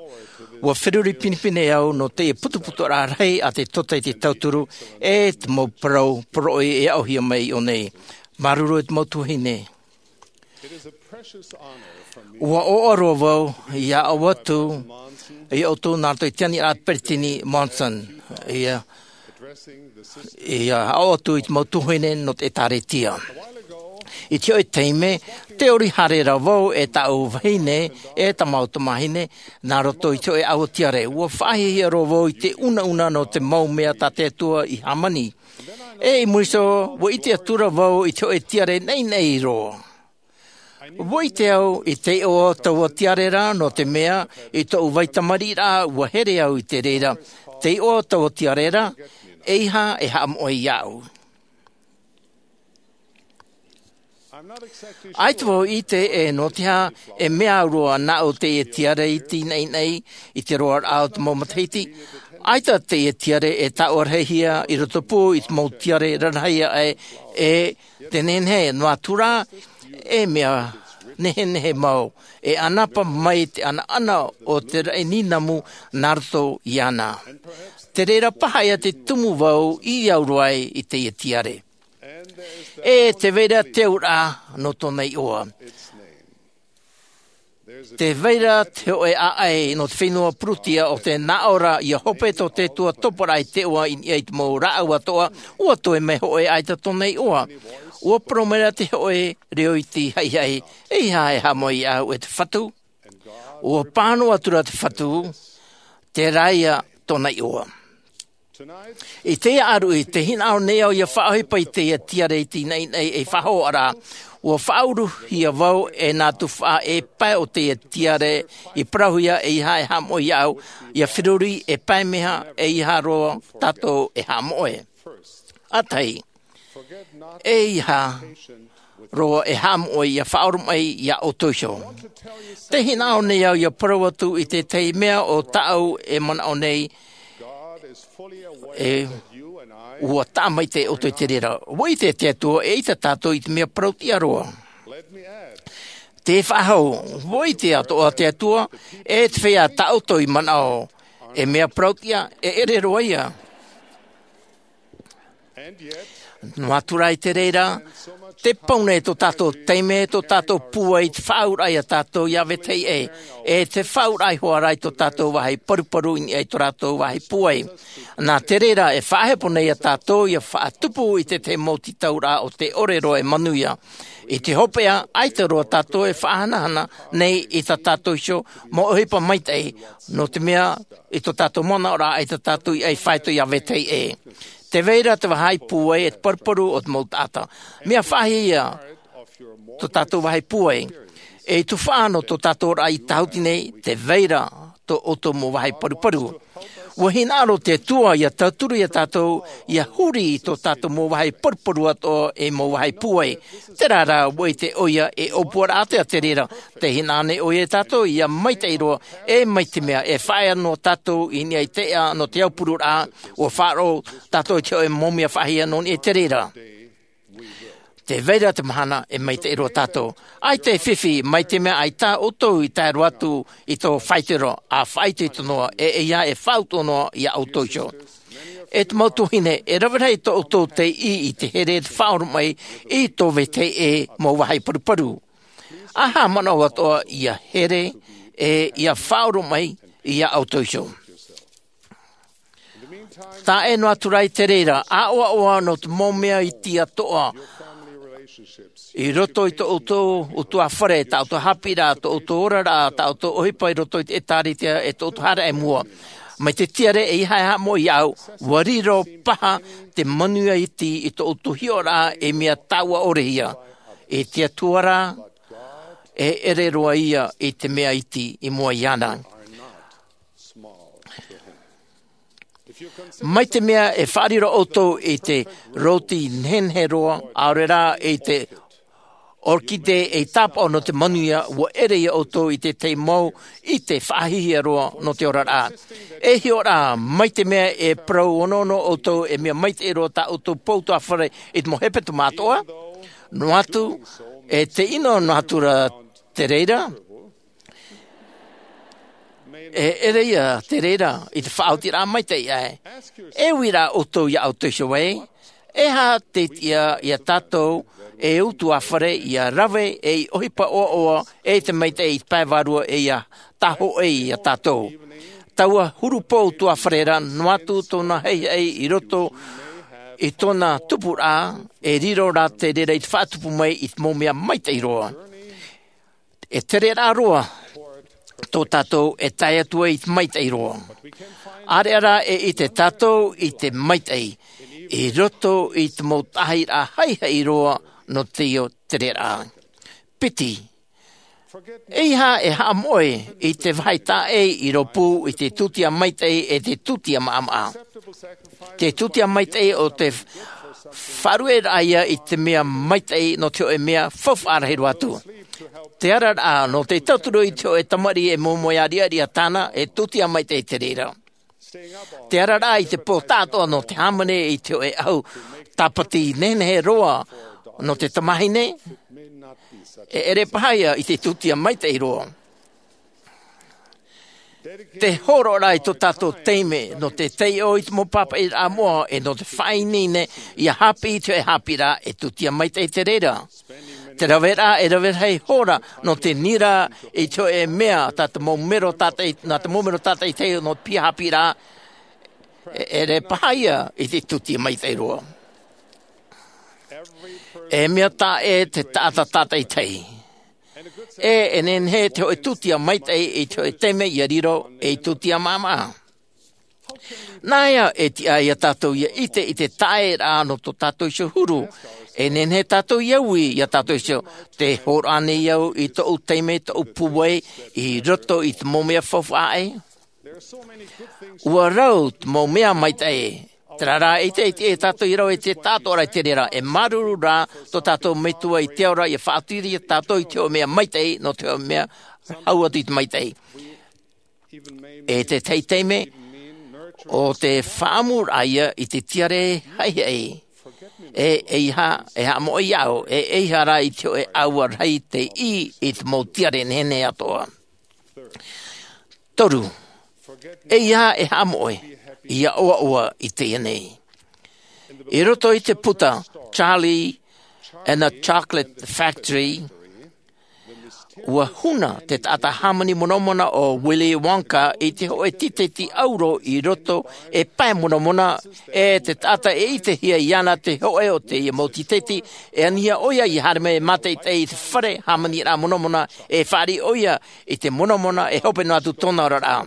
ʻUa feruri pinepine au nō teie putuputuraʻa rahi a te tōtaiete tauturu, e te mau parau poroʻi e aʻohia mai iʻō nei. Māuruuru e te mau tuahine. ʻUa ʻoaʻoa roa vau ʻia aʻo atu ia ʻoutou nā roto i te aniraʻa a te peretiteni Monson. ʻIa ʻIa aʻo atu i te mau tuahine nō te ʻĒtārētia. I te hōʻē taime, tē ʻori haere ra vau e tāʻu vahine, e tā māua tamāhine, nā roto i te hōʻē ʻāua tiare. ʻUa faʻahiahia roa vau i te ʻunaʻuna nō te mau mea tā te Atua i hāmani. E i muri iho, ʻua ʻite atu ra vau i te hōʻē tiare naʻinaʻi roa. ʻUa ʻite au i te iʻoa o taua tiare ra, nō te mea, i tōʻu vai tamariʻiraʻa, ʻua here au i te reira. Te iʻoa o taua tiare ra, ʻeiaha e haʻamoʻe iāʻu. ʻAita vau i ʻite e nō te aha e mea au roa nāʻu teie tiare iti naʻinaʻi i te roaraʻa o te mau matahiti. ʻAita teie tiare e tāʻua rahihia i roto pū i te mau tiare rarahi aʻe e te nehenehe noa atu ra, E mea nehenehe mau e ʻanapa mai te ʻanaʻana o te raʻi nīnamu nā roto iāna. Te reira paha ia te tumu vau i auro ai i teie tiare. E te vai ra te auraʻa nō tōna iʻoa. Te vai ra te hoʻe ʻaʻai nō te fenua purutia o te naʻo ra ia hope tō te atua topa ra i te ʻoa i niʻa i te mau rāʻau atoʻa. Ua toe mai hoʻe ʻaita tōna iʻoa. Ua parau mai ra te hoʻe reo iti haʻihaʻi, e ia e haʻamoʻe iā ʻu e te fatu. Ua pāhono atu ra te fatu. Te rāia tōna iʻoa. I teie ʻāruʻi te hinaʻaro nei au ia faʻaʻohipa i teie tiare i te inaʻinaʻi e faʻahoʻa ra. Ua faʻauruhia vau e nā tufaʻa e pae o teie tiare i parauhia e ia e haʻamoʻe iā ʻu ia feruri e pae meha e ia roa tātou e haʻamoʻe. ʻĀtahi, e ia roa e haʻamoʻe ia faʻaoromaʻi iā ʻoutou iho. Te hinaʻaro nei au ia parau atu i tētahi mea o tāʻu e manaʻo nei. E ua taʻa maitaʻi ʻoutou i te reira. Ua ʻite te atua e ʻaita tātou i te mea parau tiʻa roa. Te faʻahou, ua ʻite atoʻa te atua e te feiā tā ʻoutou i manaʻo e mea parau tiʻa e ʻere roa ia. Noa atu rā i te reira, te pau nei tō tātou taime tō tātou pūai i te faʻaauraʻa iā tātou iā vetahi ʻē, e te faʻaauraʻa i hoa rā i tō tātou vāhi paruparu i niʻa i tō rātou vāhi pūai. Nā te reira e faʻahepo nei iā tātou ia faʻatupu i te tahi mau tītauraʻa o te ʻore roa e manuia. I te hopeʻa ʻaita roa tātou e faʻahanahana nei i tā tātou iho mau ʻohipa maitaʻi, nō te mea i tō tātou manaʻoraʻa ʻaita tātou i ʻai faito iā vetahi ʻē. Te vai ra te vāhi pūai e te paruparu o te mau taʻata. Mea faʻahiahia tō tātou vāhi pūai. E tufaʻa nō tō tātou raʻa i tāhuti nei te vai ra tō ʻoutou mau vāhi paruparu. Ua hinaʻaro te atua ia tauturu iā tātou ia huri i tō tātou mau vāhi paruparu atoʻa e mau vāhi pūai. Terā rā ua ʻite ʻoia e ʻōpuaraʻa atoʻa te reira. Te hinaʻaro nei ʻoia iā tātou ia maitaʻi roa e mai te mea e faʻaea noa tātou i niʻa i te ʻeʻa nō te aupururaʻa. Ua faʻaroʻo tātou i te hoʻe mau mea faʻahiahia nō niʻa i te reira. Te vai ra te mahana e maitaʻi roa tātou. ʻAita e fifi mai te mea ʻaita ʻoutou i tae roa atu i tō faito ra a faʻaitoito noa e ia e faʻautuʻa noa iā ʻoutou iho. E te mau tuahine e rave rahi tō ʻoutou tei ʻī i te here e te faʻaoromaʻi i tō vetahi ʻē mau vāhi paruparu. A haʻamanaʻo atoʻa ia here e ia faʻaoromaʻi iā ʻoutou iho. Taʻe noa atu rā i te reira ʻaʻoaʻoa nō te mau mea iti atoʻa i roto i tō ʻoutou utuāfare, tā ʻoutou haʻapiʻiraʻa, tō ʻoutou oraraʻa, tā ʻoutou ʻohipa i roto i te ʻētārētia e tō ʻoutou haere i mua. Mai te tiare e ia e haʻamoʻe iā ʻu ua riro paha te manuia iti i tō ʻoutou hiʻoraʻa e mea tāua ʻore ia. I te atua rā e ʻere roa ia i te mea iti i mua iāna. Mai te mea e faʻariro ʻoutou i te rōti nehenehe roa ʻaore rā i te orkide e tāpaʻo nō te manuia ua ʻere ia ʻoutou i te tahi mau ʻite faʻahiahia roa nō te oraraʻa. E hiʻo rā mai te mea e parau onoono ʻoutou e mea maitaʻi roa tā ʻoutou pou utuāfare i te mau hepetoma atoʻa. Noa atu e te ʻino noa atu rā te reira e ʻere ia te reira i te faʻaotiraʻa maitaʻi ʻae. E ui rā ʻoutou iā ʻoutou iho ē, e aha te tiʻa iā tātou e utuāfare ia rave ei ʻohipa ʻoaʻoa e te maitaʻi i te pae vārua e ia tāhōʻē iā tātou. Taua huru pou utuāfare rā noa atu tōna haʻihaʻi i roto i tōna tupuraʻa e riro rā te reira i te faʻatupu mai i te mau mea maitaʻi roa. E tereraʻa roa tō tātou e tae atu ai i te maitaʻi roa. ʻĀreʻa rā e ʻite tātou i te maitaʻi i roto i te mau taʻahiraʻa haʻihaʻi roa nō te io tereraʻa. Piti, e ia e haʻamoʻe i te vāhi taʻa ʻē i rōpū i te tūtia maitaʻi e te tūtia maʻamaʻa. Te tūtia maitaʻi o te faʻarueraʻa ia i te mea maitaʻi nō te hoʻe mea faufaʻa rahi roa atu. Te araraʻa nō te tauturu i te hoʻe tamariʻi e moemoeā riʻariʻa tāna e tūtia maitaʻi te reira. Te araraʻa i te pō taʻatoʻa nō te hāmani i te hoʻe ʻahu tāpati nehenehe roa Nō te tamahine, e ʻere paha ia i te tūtia maitaʻi roa. Te hōroʻaraʻa i tō tātou taime nō te taiʻo i te mau pāpaʻiraʻa moʻa e nō te faʻaineine ia haʻapiʻi i te hōʻē haʻapiʻiraʻa e tūtia maitaʻi te reira. Te raveraʻa e rave rahi hora nō te nira i te hōʻē mea tā te mau mero tātaʻi, nā te mau mero tātaʻitahi nō te piha haʻapiʻiraʻa, e ʻere paha ia i te tūtia maitaʻi roa. E mea taʻa ʻē te taʻata tātaʻitahi. E, e nehenehe te hōʻē tūtia maitaʻi i te hōʻē taime ia riro ei tūtia maʻamaʻa. Nā ia e tiʻa ia tātou ia ʻite i te taʻeraʻa nō tō tātou iho huru. E nehenehe tātou ia ui ia tātou iho, te hōroʻa nei au i tōʻu taime, tōʻu pūai i roto i te mau mea faufaʻa ē. Ua rau te mau mea maitaʻi. Terā rā, e ʻite, e ʻite tātou i rave i te taʻatoʻaraʻa i te reira, e māuruuru rā tō tātou metua i te ao ra ia faʻaoti ia tātou i te hōʻē mea maitaʻi nō te hōʻē mea hau atu i te maitaʻi. E te tahi taime, ʻo te faʻaʻamuraʻa ia i te tiare haʻihaʻi. E, e ʻeiaha, e haʻamoʻe iāʻu, e ʻeiaha rā i te hōʻē ʻāua rahi tei ʻī i te mau tiare nehenehe atoʻa. Toru, ʻeiaha e haʻamoʻe ia ʻoaʻoa i teie nei. I roto i te puta Charlie and the Chocolate Factory, ua huna te taʻata hāmani monamona ʻo Willy Wonka i te hōʻē tīteti ʻauro i roto e pae monamona, e te taʻata e ʻitehia iāna te hōʻē o teie mau tīteti, e anihia ʻoia ia haere mai e mātaʻitaʻi i te fare hāmaniraʻa monamona, e fāriʻi ʻoia i te monamona e hope noa atu tōna oraraʻa.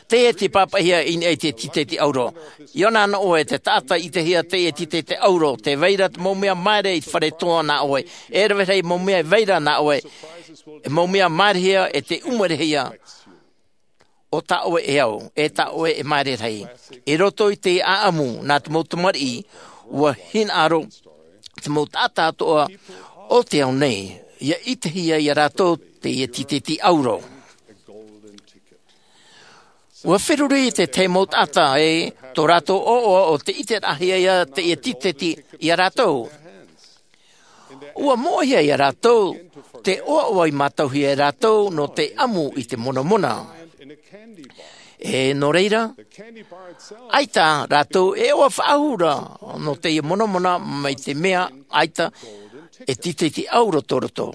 Teie te pāpaʻihia i niʻa i te tīteti ʻauro. ʻIa ʻō na ʻoe, te taʻata i ʻitehia teie tīteti ʻauro, tē vai ra te mau mea māere i te fare toa nā ʻoe. E rave rahi mau mea e vai ra nā ʻoe. E mau mea māerehia e te ʻumarehia. ʻO tā ʻoe e au, e tā ʻoe e māere rahi. I roto i te ʻāʻamu nā te mau tamariʻi, ua hinaʻaro te mau taʻata atoʻa o te ao nei ia ʻitehia ia rātou teie tīteti ʻauro. Ua feruri te tahi mau taʻata e tō rātou ʻoaʻoa ʻo te ʻiteraʻahia ia teie tīteti ia rātou. Ua moʻehia ia rātou te ʻoaʻoa i mātauhia e rātou nō te ʻamu i te monamona. E nō reira, ʻaita rātou e ʻoaʻoa faʻahou ra nō teie monamona mai te mea ʻaita e tīteti ʻauro tō roto.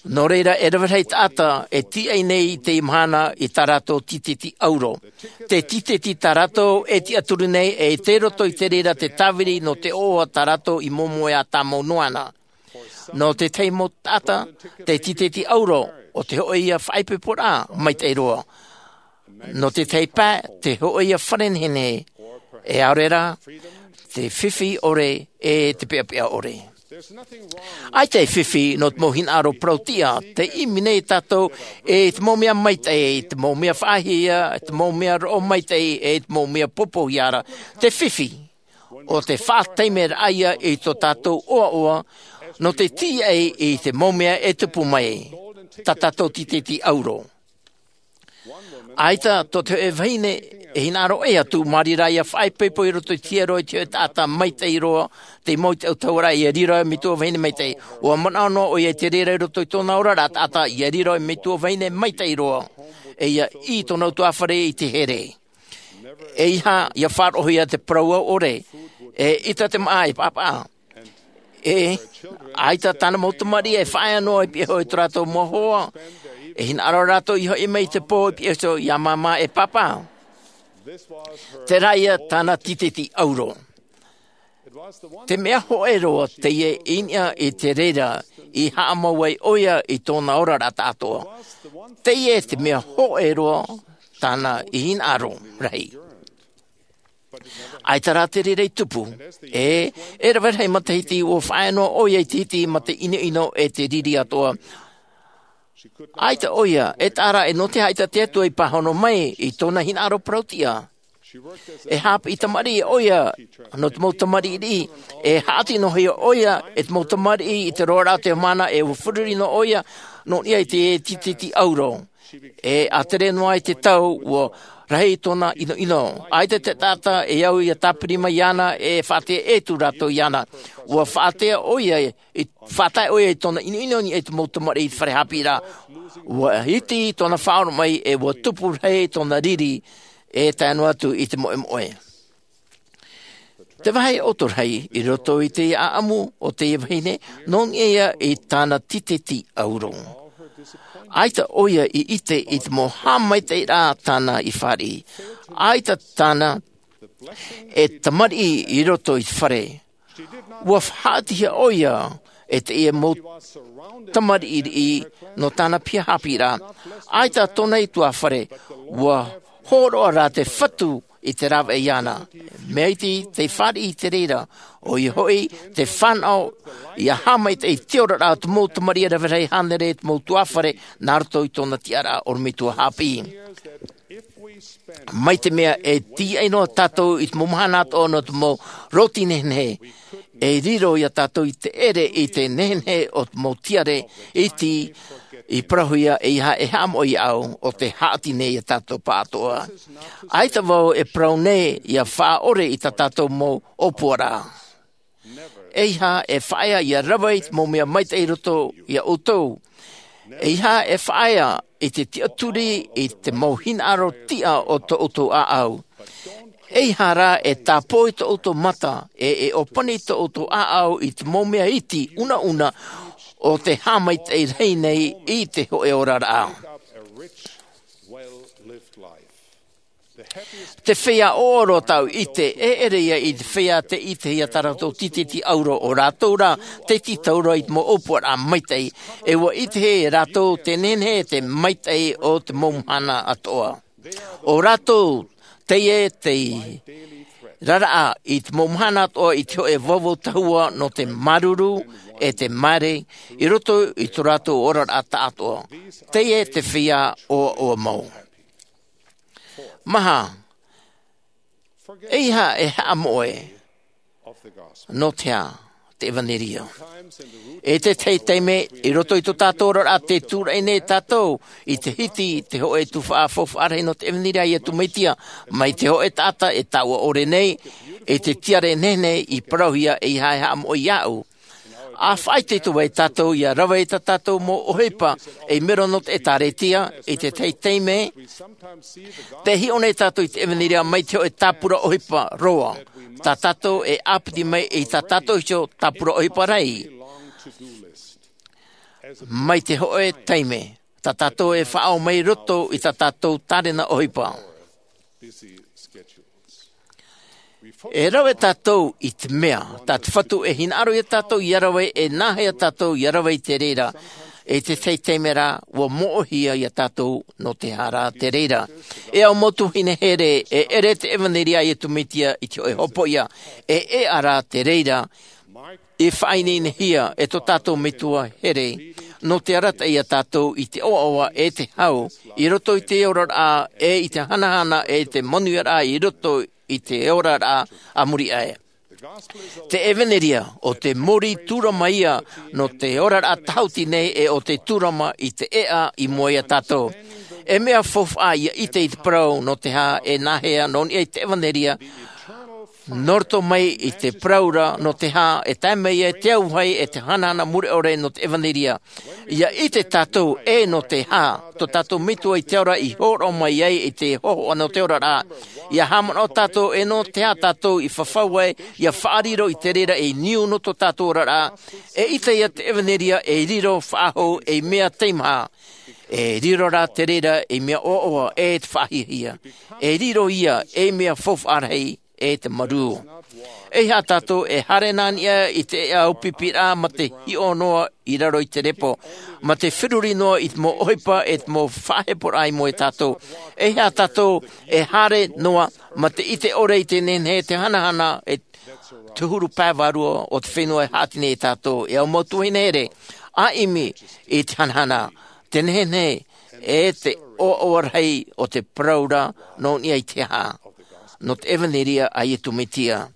Nō reira, e rave rahi taʻata e tīaʻi nei i teie mahana i tā rātou tīteti ʻauro. Te tīteti tā rātou e tiʻaturi nei, e tei roto i te reira te tāviri nō te ʻoaʻoa tā rātou i momoe ā tāmau noa na. Nō te tahi mau taʻata, te tīteti ʻauro ʻo te hōʻē ia faʻaipoiporaʻa maitaʻi roa. Nō te tahi pae, te hōʻē ia fare nehenehe, e ʻaore rā te fifi ʻore, e te peʻapeʻa ʻore. ʻAita e fifi nō te mau hinaʻaro parau-tiʻa, tē ʻimi nei tātou e te mau mea maitaʻi, e te mau mea faʻahiahia, e te mau mea roʻo maitaʻi, e te mau mea popohia ra. Te fifi ʻo te faʻataimeraʻa ia i tō tātou ʻoaʻoa nō te tīaʻi i te mau mea e tupu mai, tā tātou tīteti ʻauro. ʻAita tō te hōʻē vahine e hinaʻaro ʻē atu, māri rā ia faʻaipoipo i roto i te hiero i te hōʻē taʻata maitaʻi roa, tei mau i te autahuʻaraʻa ia riro ai metua vahine maitaʻi. ʻUa manaʻo noa ʻoia i te reira i roto i tōna oraraʻa taʻata, ia riro ai metua vahine maitaʻi roa. E ia ʻī i tōna ʻutuāfare i te here. ʻEiaha ia faʻaroʻohia te parau au ʻore, e ʻita te māʻa e pāpaʻa. E, ʻaita tāna mau tamariʻi e faʻaea noa i pihaʻi iho i tō rātou mau hoa, e hinaʻaro rātou i hoʻi mai i te pō i pihaʻi iho iā māmā e pāpā. Terā ia tāna tīteti ʻauro. Te mea hōʻē roa teie i niʻa i te reira i haʻamau ai ʻoia i tōna oraraʻa taʻatoʻa. Teie te mea hōʻē roa tāna i hinaʻaro rahi. ʻAita rā te reira i tupu. E, e rave rahi matahiti ʻua faʻaea noa ʻoia i te hiti mā te ʻinoʻino e te riri atoʻa. ʻAita ʻoia e taʻa ra e nō te aha ʻaita te Atua i pāhono mai i tōna hinaʻaro parau-tiʻa. E haʻapiʻi tamariʻi ʻoia nō te mau tamariʻi riʻi. E haʻati noa hia ʻoia e te mau tamariʻi i te roaraʻa o te mahana, e ʻua feruri noa ʻoia nō niʻa i te tīteti ʻauro. E ʻa tere noa i te tau ʻua rahi tōna ʻinoʻino. ʻAita te taʻata e au ia tāpiri mai iāna e faʻaʻite atu rātou iāna. Ua faʻatae ʻoia i faʻatae ʻoia i tōna ʻinoʻino i te mau tamariʻi i te fare haʻapiʻiraʻa. Ua iti tōna faʻaoromaʻi e ua tupu rahi tōna riri e tae noa atu i te moʻemoʻe. Te vāhi ʻoto rahi i roto i te ʻaʻamu o te vahine nō niʻa ia i tāna titeti ʻauro. ʻAita ʻoia i ʻite i te mau haʻamaitaʻiraʻa tāna i fāriʻi. ʻAita tāna e tamariʻi i roto i te fare. Ua faʻaʻitehia ʻoia e te ia mau tamariʻi nō tāna piha haʻapiʻiraʻa. ʻAita tōna ʻutuāfare ua hōroʻa rā te fatu i te rāveʻa iāna. Mea iti te fāriʻi i te reira ʻoia hoʻi te fānaʻo ia haʻamaitaʻi i te oraraʻa o te mau tamariʻi e rave rahi hānere te mau ʻutuāfare nā roto i tōna tiʻaraʻa ʻorometua haʻapiʻi. Mai te mea e tīaʻi noa tātou i te mau mahana atoʻa nō te mau rōti nehenehe, e riro ia tātou i te ʻere i te nehenehe o te mau tiare iti i parauhia e ia e haʻamoʻe iāʻu o te haʻati nei ia tātou pāʻatoʻa. ʻAita vau e parau nei ia faʻaʻore i tā tātou mau ʻōpuaraʻa. ʻEiaha e faʻaea ia rave i te mau mea maitaʻi i roto ia ʻoutou. ʻEiaha e faʻaea i te tiʻaturi i te mau hinaʻaro tiʻa o tō ʻoutou ʻāʻau. ʻEiaha rā e tāpō i tō ʻoutou mata e e ʻōpani tō ʻoutou ʻāʻau i te mau mea iti unauna o te haʻamaitaʻi rahi nei i te hōʻē oraraʻa. Te feiā ʻoaʻoa roa tāʻu i ʻite e ʻere ia i te feiā te ʻitehia tā rātou titeti ʻauro o rātou rā te tītauraʻa i te mau ʻōpuaraʻa maitaʻi. E ua ʻitehia e rātou te nehenehe e te maitaʻi o te mau mahana atoʻa. O rātou teie te raraʻa i te mau mahana atoʻa i te hōʻē vauvau tahua nō te māuruuru e te māere i roto i tō rātou oraraʻa taʻatoʻa. Teie te feiā ʻoaʻoa mau. Maha, ʻeiaha e haʻamoʻe nō te aha te ʻevanelia. E te tahi taime i roto i tō tātou oraraʻa te tūraʻi nei tātou i te hiti te hōʻē tuhaʻa faufaʻa rahi nō te ʻevanelia a iesu mesia mai te hōʻē taʻata e taʻua ʻore nei i te tiare nehenehe i parauhia ʻeiaha e haʻamoʻe iāʻu. A faʻaitoito ai tātou ia rave i tā tātou mau ʻohipa ei mero nō te ʻēkālesia i te tahi taime te hiʻo nei tātou i te ʻevanelia mai te hōʻē tāpura ʻohipa roa tā tātou e ʻāpiti mai i tā tātou iho tāpura ʻohipa rahi. Mai te hōʻē taime tā tātou e faʻaʻau mai roto i tā tātou tārena ʻohipa. E rave tātou i te mea tā te fatu e hinaʻaro ia tātou ia rave e nāhea tātou ia rave i te reira e te tahi taime rā ua moʻehia ia tātou nō te aha rā te reira. E au mau tuahine here e ʻere te ʻevanelia a iesu mesia i te hōʻē hopoiʻa e ʻeʻa rā te reira i faʻaineinehia e tō tātou metua here nō te arataʻi ia tātou i te ʻoaʻoa e te hau i roto i te oraraʻa e i te hanahana e te manuiaraʻa i roto i te oraraʻa a muri aʻe. Te ʻevanelia o te mōrī tūrama ia nō te oraraʻa tahuti nei e o te tūrama i te ʻeʻa i mua ia tātou. E mea faufaʻa ia ʻite i te parau nō te aha e nāhea nō niʻa i te ʻevanelia nō roto mai i te parau ra nō te aha e tae mai ai te auahi e te hanahana mure ʻore nō te ʻevanelia. Ia ʻite tātou e nō te aha tō tātou metua i te ao ra i hōroʻa mai ai i te hōhoʻa nō te oraraʻa. Ia haʻamanaʻo tātou e nō te aha tātou i fafau ai ia faʻariro i te reira ei niu nō tō tātou oraraʻa. E ʻite ia te ʻevanelia ei riro faʻahou ei mea teimaha. E riro rā te reira ei mea ʻoaʻoa e te faʻahiahia. E riro ia ei mea faufaʻa rahi e te marū. ʻEiaha tātou e haere nā niʻa i te ʻeʻa ʻāpipiraʻa mā te hiʻo noa i raro i te repo mā te feruri noa i te mau ʻohipa e te mau faʻaheporaʻa i mua ia tātou. ʻEiaha tātou e haere noa mā te ʻite ʻore i te nehenehe te hanahana e te huru pae vārua o te fenua e haʻati nei ia tātou e au mau tuahine here a ʻimi i te hanahana te nehenehe e te ʻoaʻoa rahi o te parau ra nō niʻa i te aha nō te ʻevanelia a iesu mesia.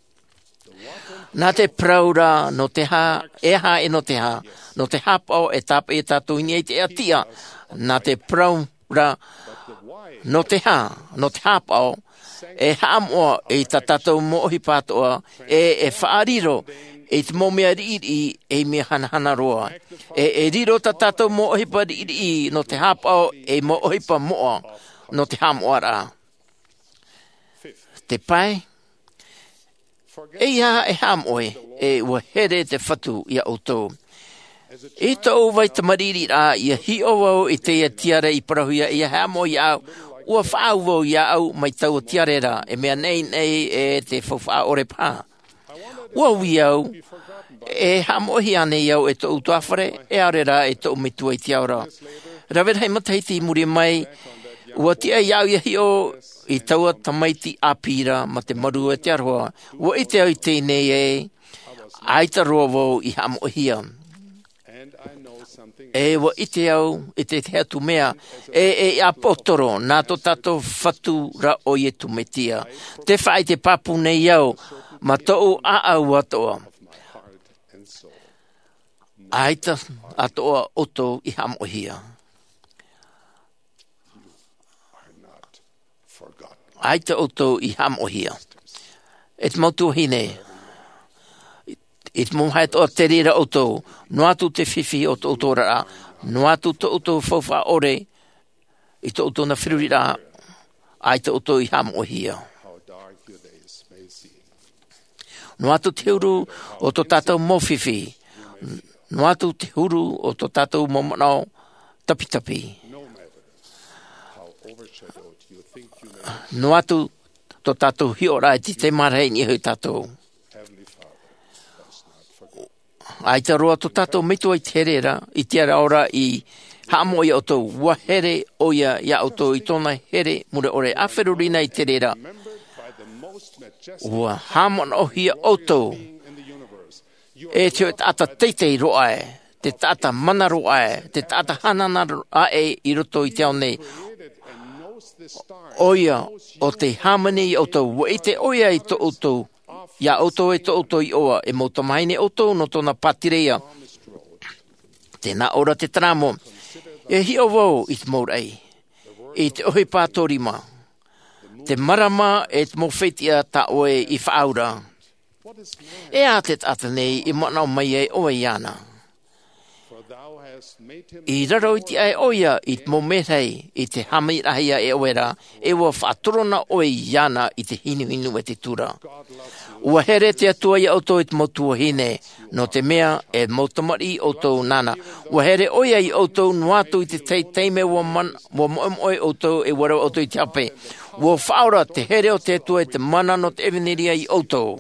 Nā te parau ra nō te aha e aha e nō te aha nō te hapaʻo e tāpeʻa ia tātou i niʻa i te ʻeʻa tiʻa nā te parau ra Nō te hā? Nō te hāpaʻo e haʻamoʻa i tā tātou mau ʻohipa atoʻa, e e faʻariro i te mau mea riʻiriʻi ei mea hanahana roa. E e riro tā tātou mau ʻohipa riʻiriʻi nō te hāpaʻo ei mau ʻohipa moʻa nō te haʻamoʻaraʻa. Te pae, e ia e haʻamoʻe, e ua here te Fatu iā ʻoutou. I tōʻu vai tamariʻiraʻa, ia hiʻo vau i teie tiare i parauhia, ia haʻamoʻe iāʻu. Ua faʻaau vau iāʻu mai taua tiare ra, e mea neʻineʻi e te faufaʻa ʻore paha. Ua ui au, e haʻamoʻehia ānei au e tōʻu tuāfare, e ʻaore rā e tōʻu metua i te ao ra. Rave rahi matahiti i muri mai, ua tiʻa iāʻu ia hiʻo i taua tamaiti ʻāpī ra ma te marū e te aroha. Ua ʻite au i teie nei ē, ʻaita roa vau i haʻamoʻehia. E ua ʻite au i te tahi atu mea, e e ʻāpōsetolo nā tō tātou Fatu ra ʻo Iesu Mesia. Te faʻaʻite pāpū nei au ma tōʻu ʻāʻau atoʻa, ʻaita atoʻa ʻoutou i haʻamoʻehia. ʻAita ʻoutou i haʻamoʻehia. E te mau tuahine, i te mau haʻatoʻa, te reira ʻoutou, noa atu te fifi o tō ʻoutou oraraʻa, noa atu tō ʻoutou faufaʻa ʻore i tō ʻoutou na feruriraʻa, ʻaita ʻoutou i haʻamoʻehia. Noa atu te huru o tō tātou mau fifi, noa atu te huru o tō tātou mau manaʻo tapitapi, noa atu tō tātou hiʻoraʻa e te tei marahi i niʻa iho tātou. ʻAita roa tō tātou metua i te here ra, i te ara ora i haʻamoʻe iā ʻoutou, ua here ʻoia iā ʻoutou i tōna here mure ʻore. ʻA feruri na i te reira, ua haʻamanaʻohia ʻoutou e te hōʻē taʻata teitei roa ē, te taʻata mana roa ē, te taʻata hanahana roa ē i roto i te ao nei. ʻOia ʻo tei hāmani iā ʻoutou, ua ʻite ʻoia i tō ʻoutou, iā ʻoutou e tō ʻoutou iʻoa, e mau tamahine ʻoutou nō tōna pātireia. Tē nā ʻō ra te taramo, e hiʻo vau i te mau raʻi, i te ʻohipa tōrima, te marama e te mau fetiʻa tā ʻoe i faʻaau ra. E aha te taʻata nei i manaʻo mai ai ʻoe iāna? I raro iti aʻe ʻoia i te mau merahi i te hāmaniraʻahia e ʻoe ra, e ua faʻatorona ʻoe iāna i te hinuhinu e te tura. Ua here te Atua iā ʻoutou i te mau tuahine, nō te mea e mau tamariʻi ʻoutou nāna. Ua here ʻoia iā ʻoutou noa atu i te tahi taime ua man-, ua moʻemoʻe ʻoutou e ua rave ʻoutou i te hape. Ua faʻaora te here o te Atua i te mana nō te ʻevanelia iā ʻoutou.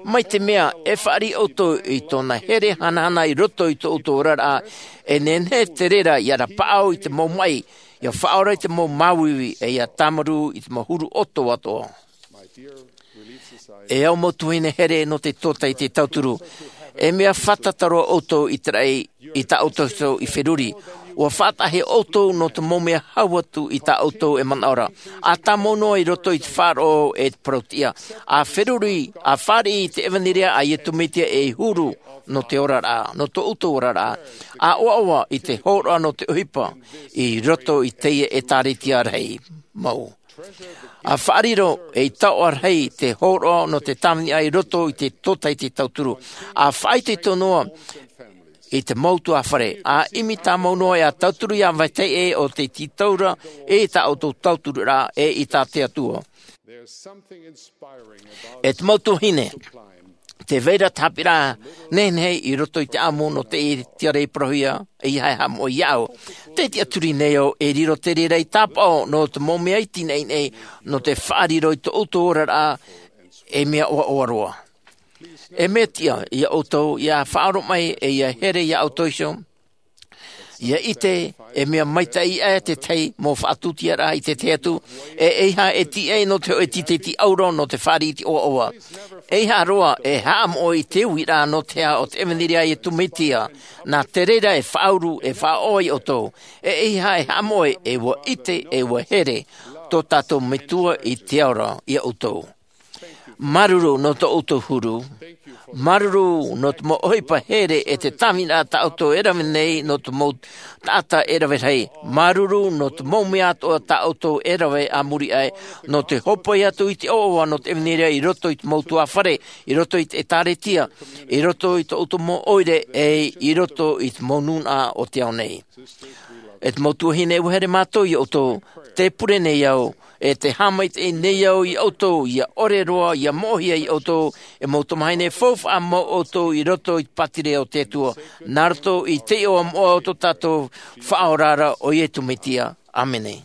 Mai te mea e fāriʻi ʻoutou i tōna here hanahana i roto i tō ʻoutou oraraʻa, e nehenehe te reira ia rapaʻau i te mau maʻi, ia faʻaora i te mau māuiui, e ia tāmarū i te mau huru ʻoto atoʻa. E au mau tuahine here nō te tōtaiete tauturu, e mea fātata roa ʻoutou i te raʻi i tā ʻoutou iho i feruri. Ua faʻataʻahia ʻoutou nō te mau mea hau atu i tā ʻoutou e manaʻo ra. ʻA tāmau noa i roto i te faʻaroʻo e te parauʻtiʻa. ʻA feruri, ʻa fāriʻi i te ʻevanelia a Iesu Mesia ei huru nō te oraraʻa, nō tō ʻoutou oraraʻa. ʻA ʻoaʻoa i te hōroʻa nō te ʻohipa i roto i teie ʻētāretia rahi mau. ʻA fāriʻi ei taoʻa rahi te hōroʻa nō te tāvini i roto i te tōtaiete tauturu. ʻA faʻaitoito noa i te mau tuāfare. ʻA ʻimi tāmau noa e ʻa tauturu i te vāhi ʻē o te tītauraʻa i tā ʻoutou tauturu ra e i tā te Atua. E te mau tuahine, tē vai ra te haʻapiʻiraʻa nehenehe i roto i te ʻāmu nō te tiare i parauhia, e ia haʻamoʻe iāʻu. Tē tiʻaturi nei au e riro te reira ei tāpaʻo nō te mau mea iti nei, nō te faʻariro i tō ʻoutou oraraʻa ei mea ʻoaʻoa roa. E mea tiʻa iā ʻoutou ia faʻaroʻo mai e ia here iā ʻoutou iho. Ia ʻite e mea maitaʻi aʻe te tahi mau faʻatūtiaraʻa i te tahi atu, e eiaha e tīaʻi nō te hōʻē tītaʻi ʻauro nō te fāriʻi i te ʻoaʻoa. Eiaha roa e haʻamoʻe i te uiraʻa nō te aha o te ʻevanelia a Iesu Mesia, nā te reira e faʻauru, e faʻaʻoaʻoa iā ʻoutou. E eiaha e haʻamoʻe, e ua ʻite, e ua here tō tātou Metua i te ao ra iā ʻoutou. Māuruuru nō tō ʻoutou huru. Māuruuru nō te mau ʻohipa here e te tāvini tā ʻoutou e rave nei nō te mau taʻata e rave rahi. Māuruuru nō te mau mea atoʻa tā ʻoutou e rave a muri aʻe, nō te hōpoi atu i te ʻoaʻoa nō te ʻevanelia i roto i te mau ʻutuāfare, i roto i te ʻētāretia, i roto i tō ʻoutou mau ʻoire, ʻe i roto i te mau nūnaʻa o te ao nei. E te mau tuahine, ʻua here mātou iā ʻoutou, tē pure nei au, e tē haʻamaitaʻi nei au iā ʻoutou, ʻia ʻore roa, ʻia moʻehia iā ʻoutou, e mau tamahine, faufaʻa mau ʻoutou i roto i te pātireia o te Atua, nā roto i te iʻoa moʻa o tō tātou Faʻaora ra, ʻo Iesu Mesia. ʻĀmene.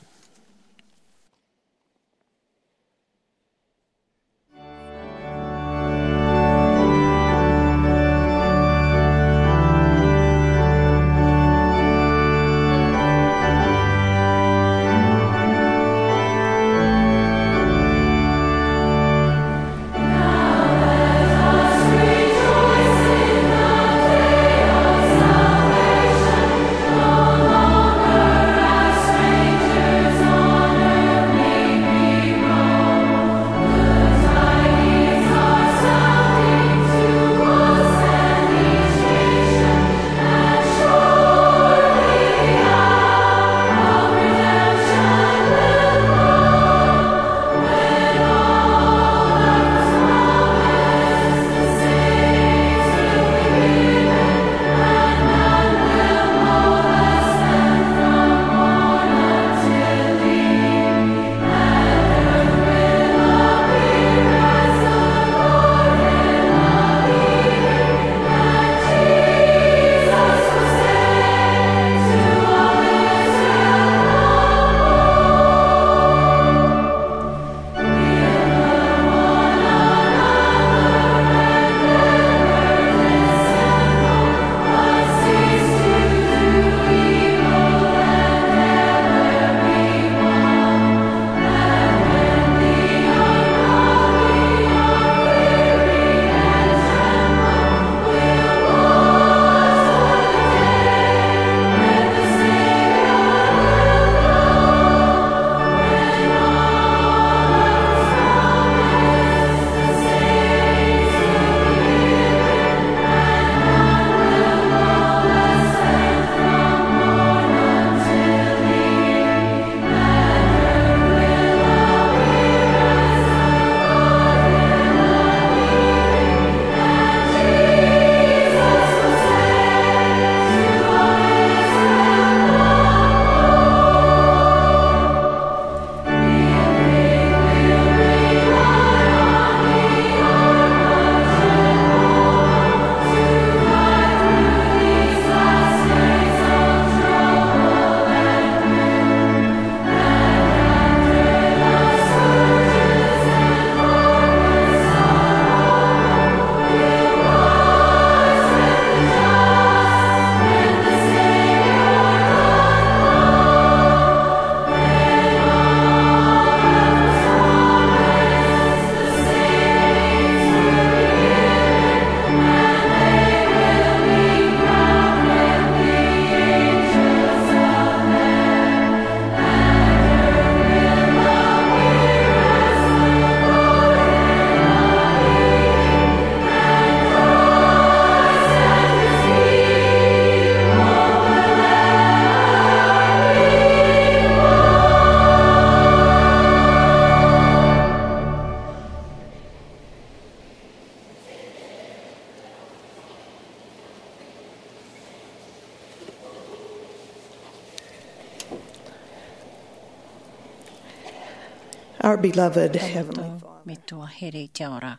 Our beloved Heavenly Father, metua here i te ao ra.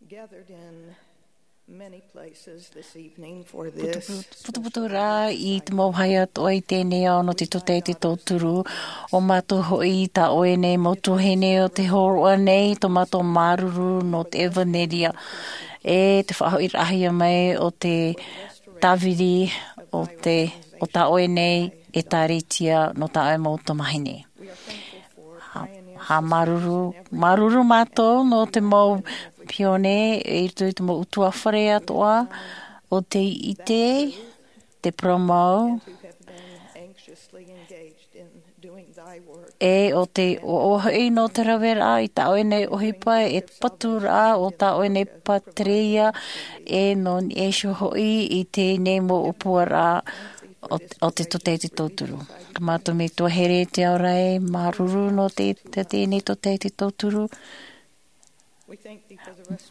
Gathered in many places this evening for this putuputu rā i te mau vāhi atoʻa i teie nei ao nō te tūtaki i te tauturu. ʻO mātou hoʻi tā ʻoe nei mau tuahine o te hōroʻa nei, tō mātou māuruuru nō te ʻevanelia e te faʻahoʻiraʻahia mai o te tāviri o te, o tā ʻoe nei ʻētāretia nō tā ʻoe mau tamahine. Hā, hā māuruuru, māuruuru mātou nō te mau pione i roto i te mau ʻutuāfare atoʻa o tei ʻite, te parau. E o te ʻoaʻoa hoʻi nō te raveraʻa i tā ʻoe nei ʻohipa e patu rā o tā ʻoe nei pātireia, e nō niʻa iho hoʻi i teie nei mau ʻōpuaraʻa o, o te tōtaiete tauturu. Ka mātou Metua here i te ao ra, e māuruuru nō te, te, teie nei tōtaiete tauturu.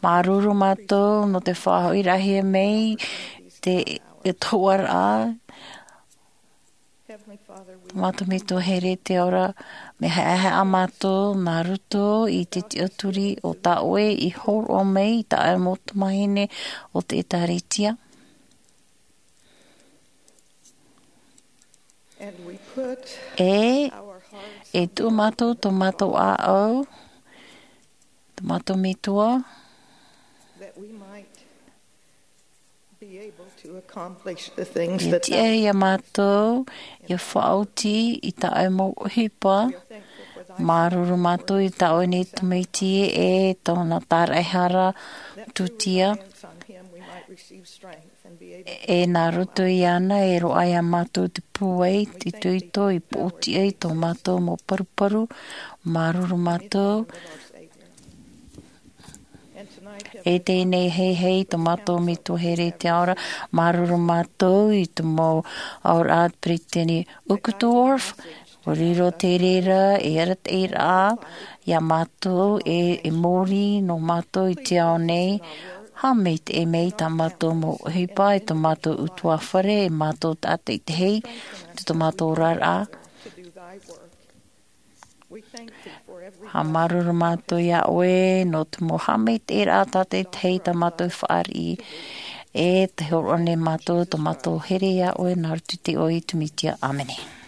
Māuruuru mātou nō te faʻahoʻiraʻahia mai te, te tohuaraʻa. Mātou Metua here i te ao ra, mea haʻehaʻa mātou nā roto i te tiʻaturi o tā ʻoe i hōroʻa mai i taua mau tamāhine o te ʻĒtārētia. E, e tuʻu mātou tō mātou ʻāʻau, tō mātou Metua, ia tiʻa iā mātou ia faʻaoti i taua mau ʻohipa. Māuruuru mātou i tā ʻoe nei Tamaiti e tōna tāraʻehara tūtia. E nā roto iāna e roaʻa iā mātou te pūai, te itoito i pōtiʻa i tō mātou mau paruparu. Māuruuru mātou. E teie nei heihei tō mātou Metua here i te ao ra, māuruuru mātou i te mau auraʻa a te peresideni Uchtdorf. ʻUa riro te reira e arataʻi rā iā mātou e, e mōrī nō mātou i te ao nei. Haʻamaitaʻi mai tā mātou mau ʻohipa e tō mātou ʻutuāfare, e mātou tātaʻitahi, te tō mātou oraraʻa. Haʻamāuruuru mātou iā ʻoe nō te mau haʻamaitaʻiraʻa tātaʻitahi tā mātou fāriʻi. E te hōroʻa nei mātou tō mātou here iā ʻoe nā roto i te iʻoa o Iesu Mesia. ʻĀmene.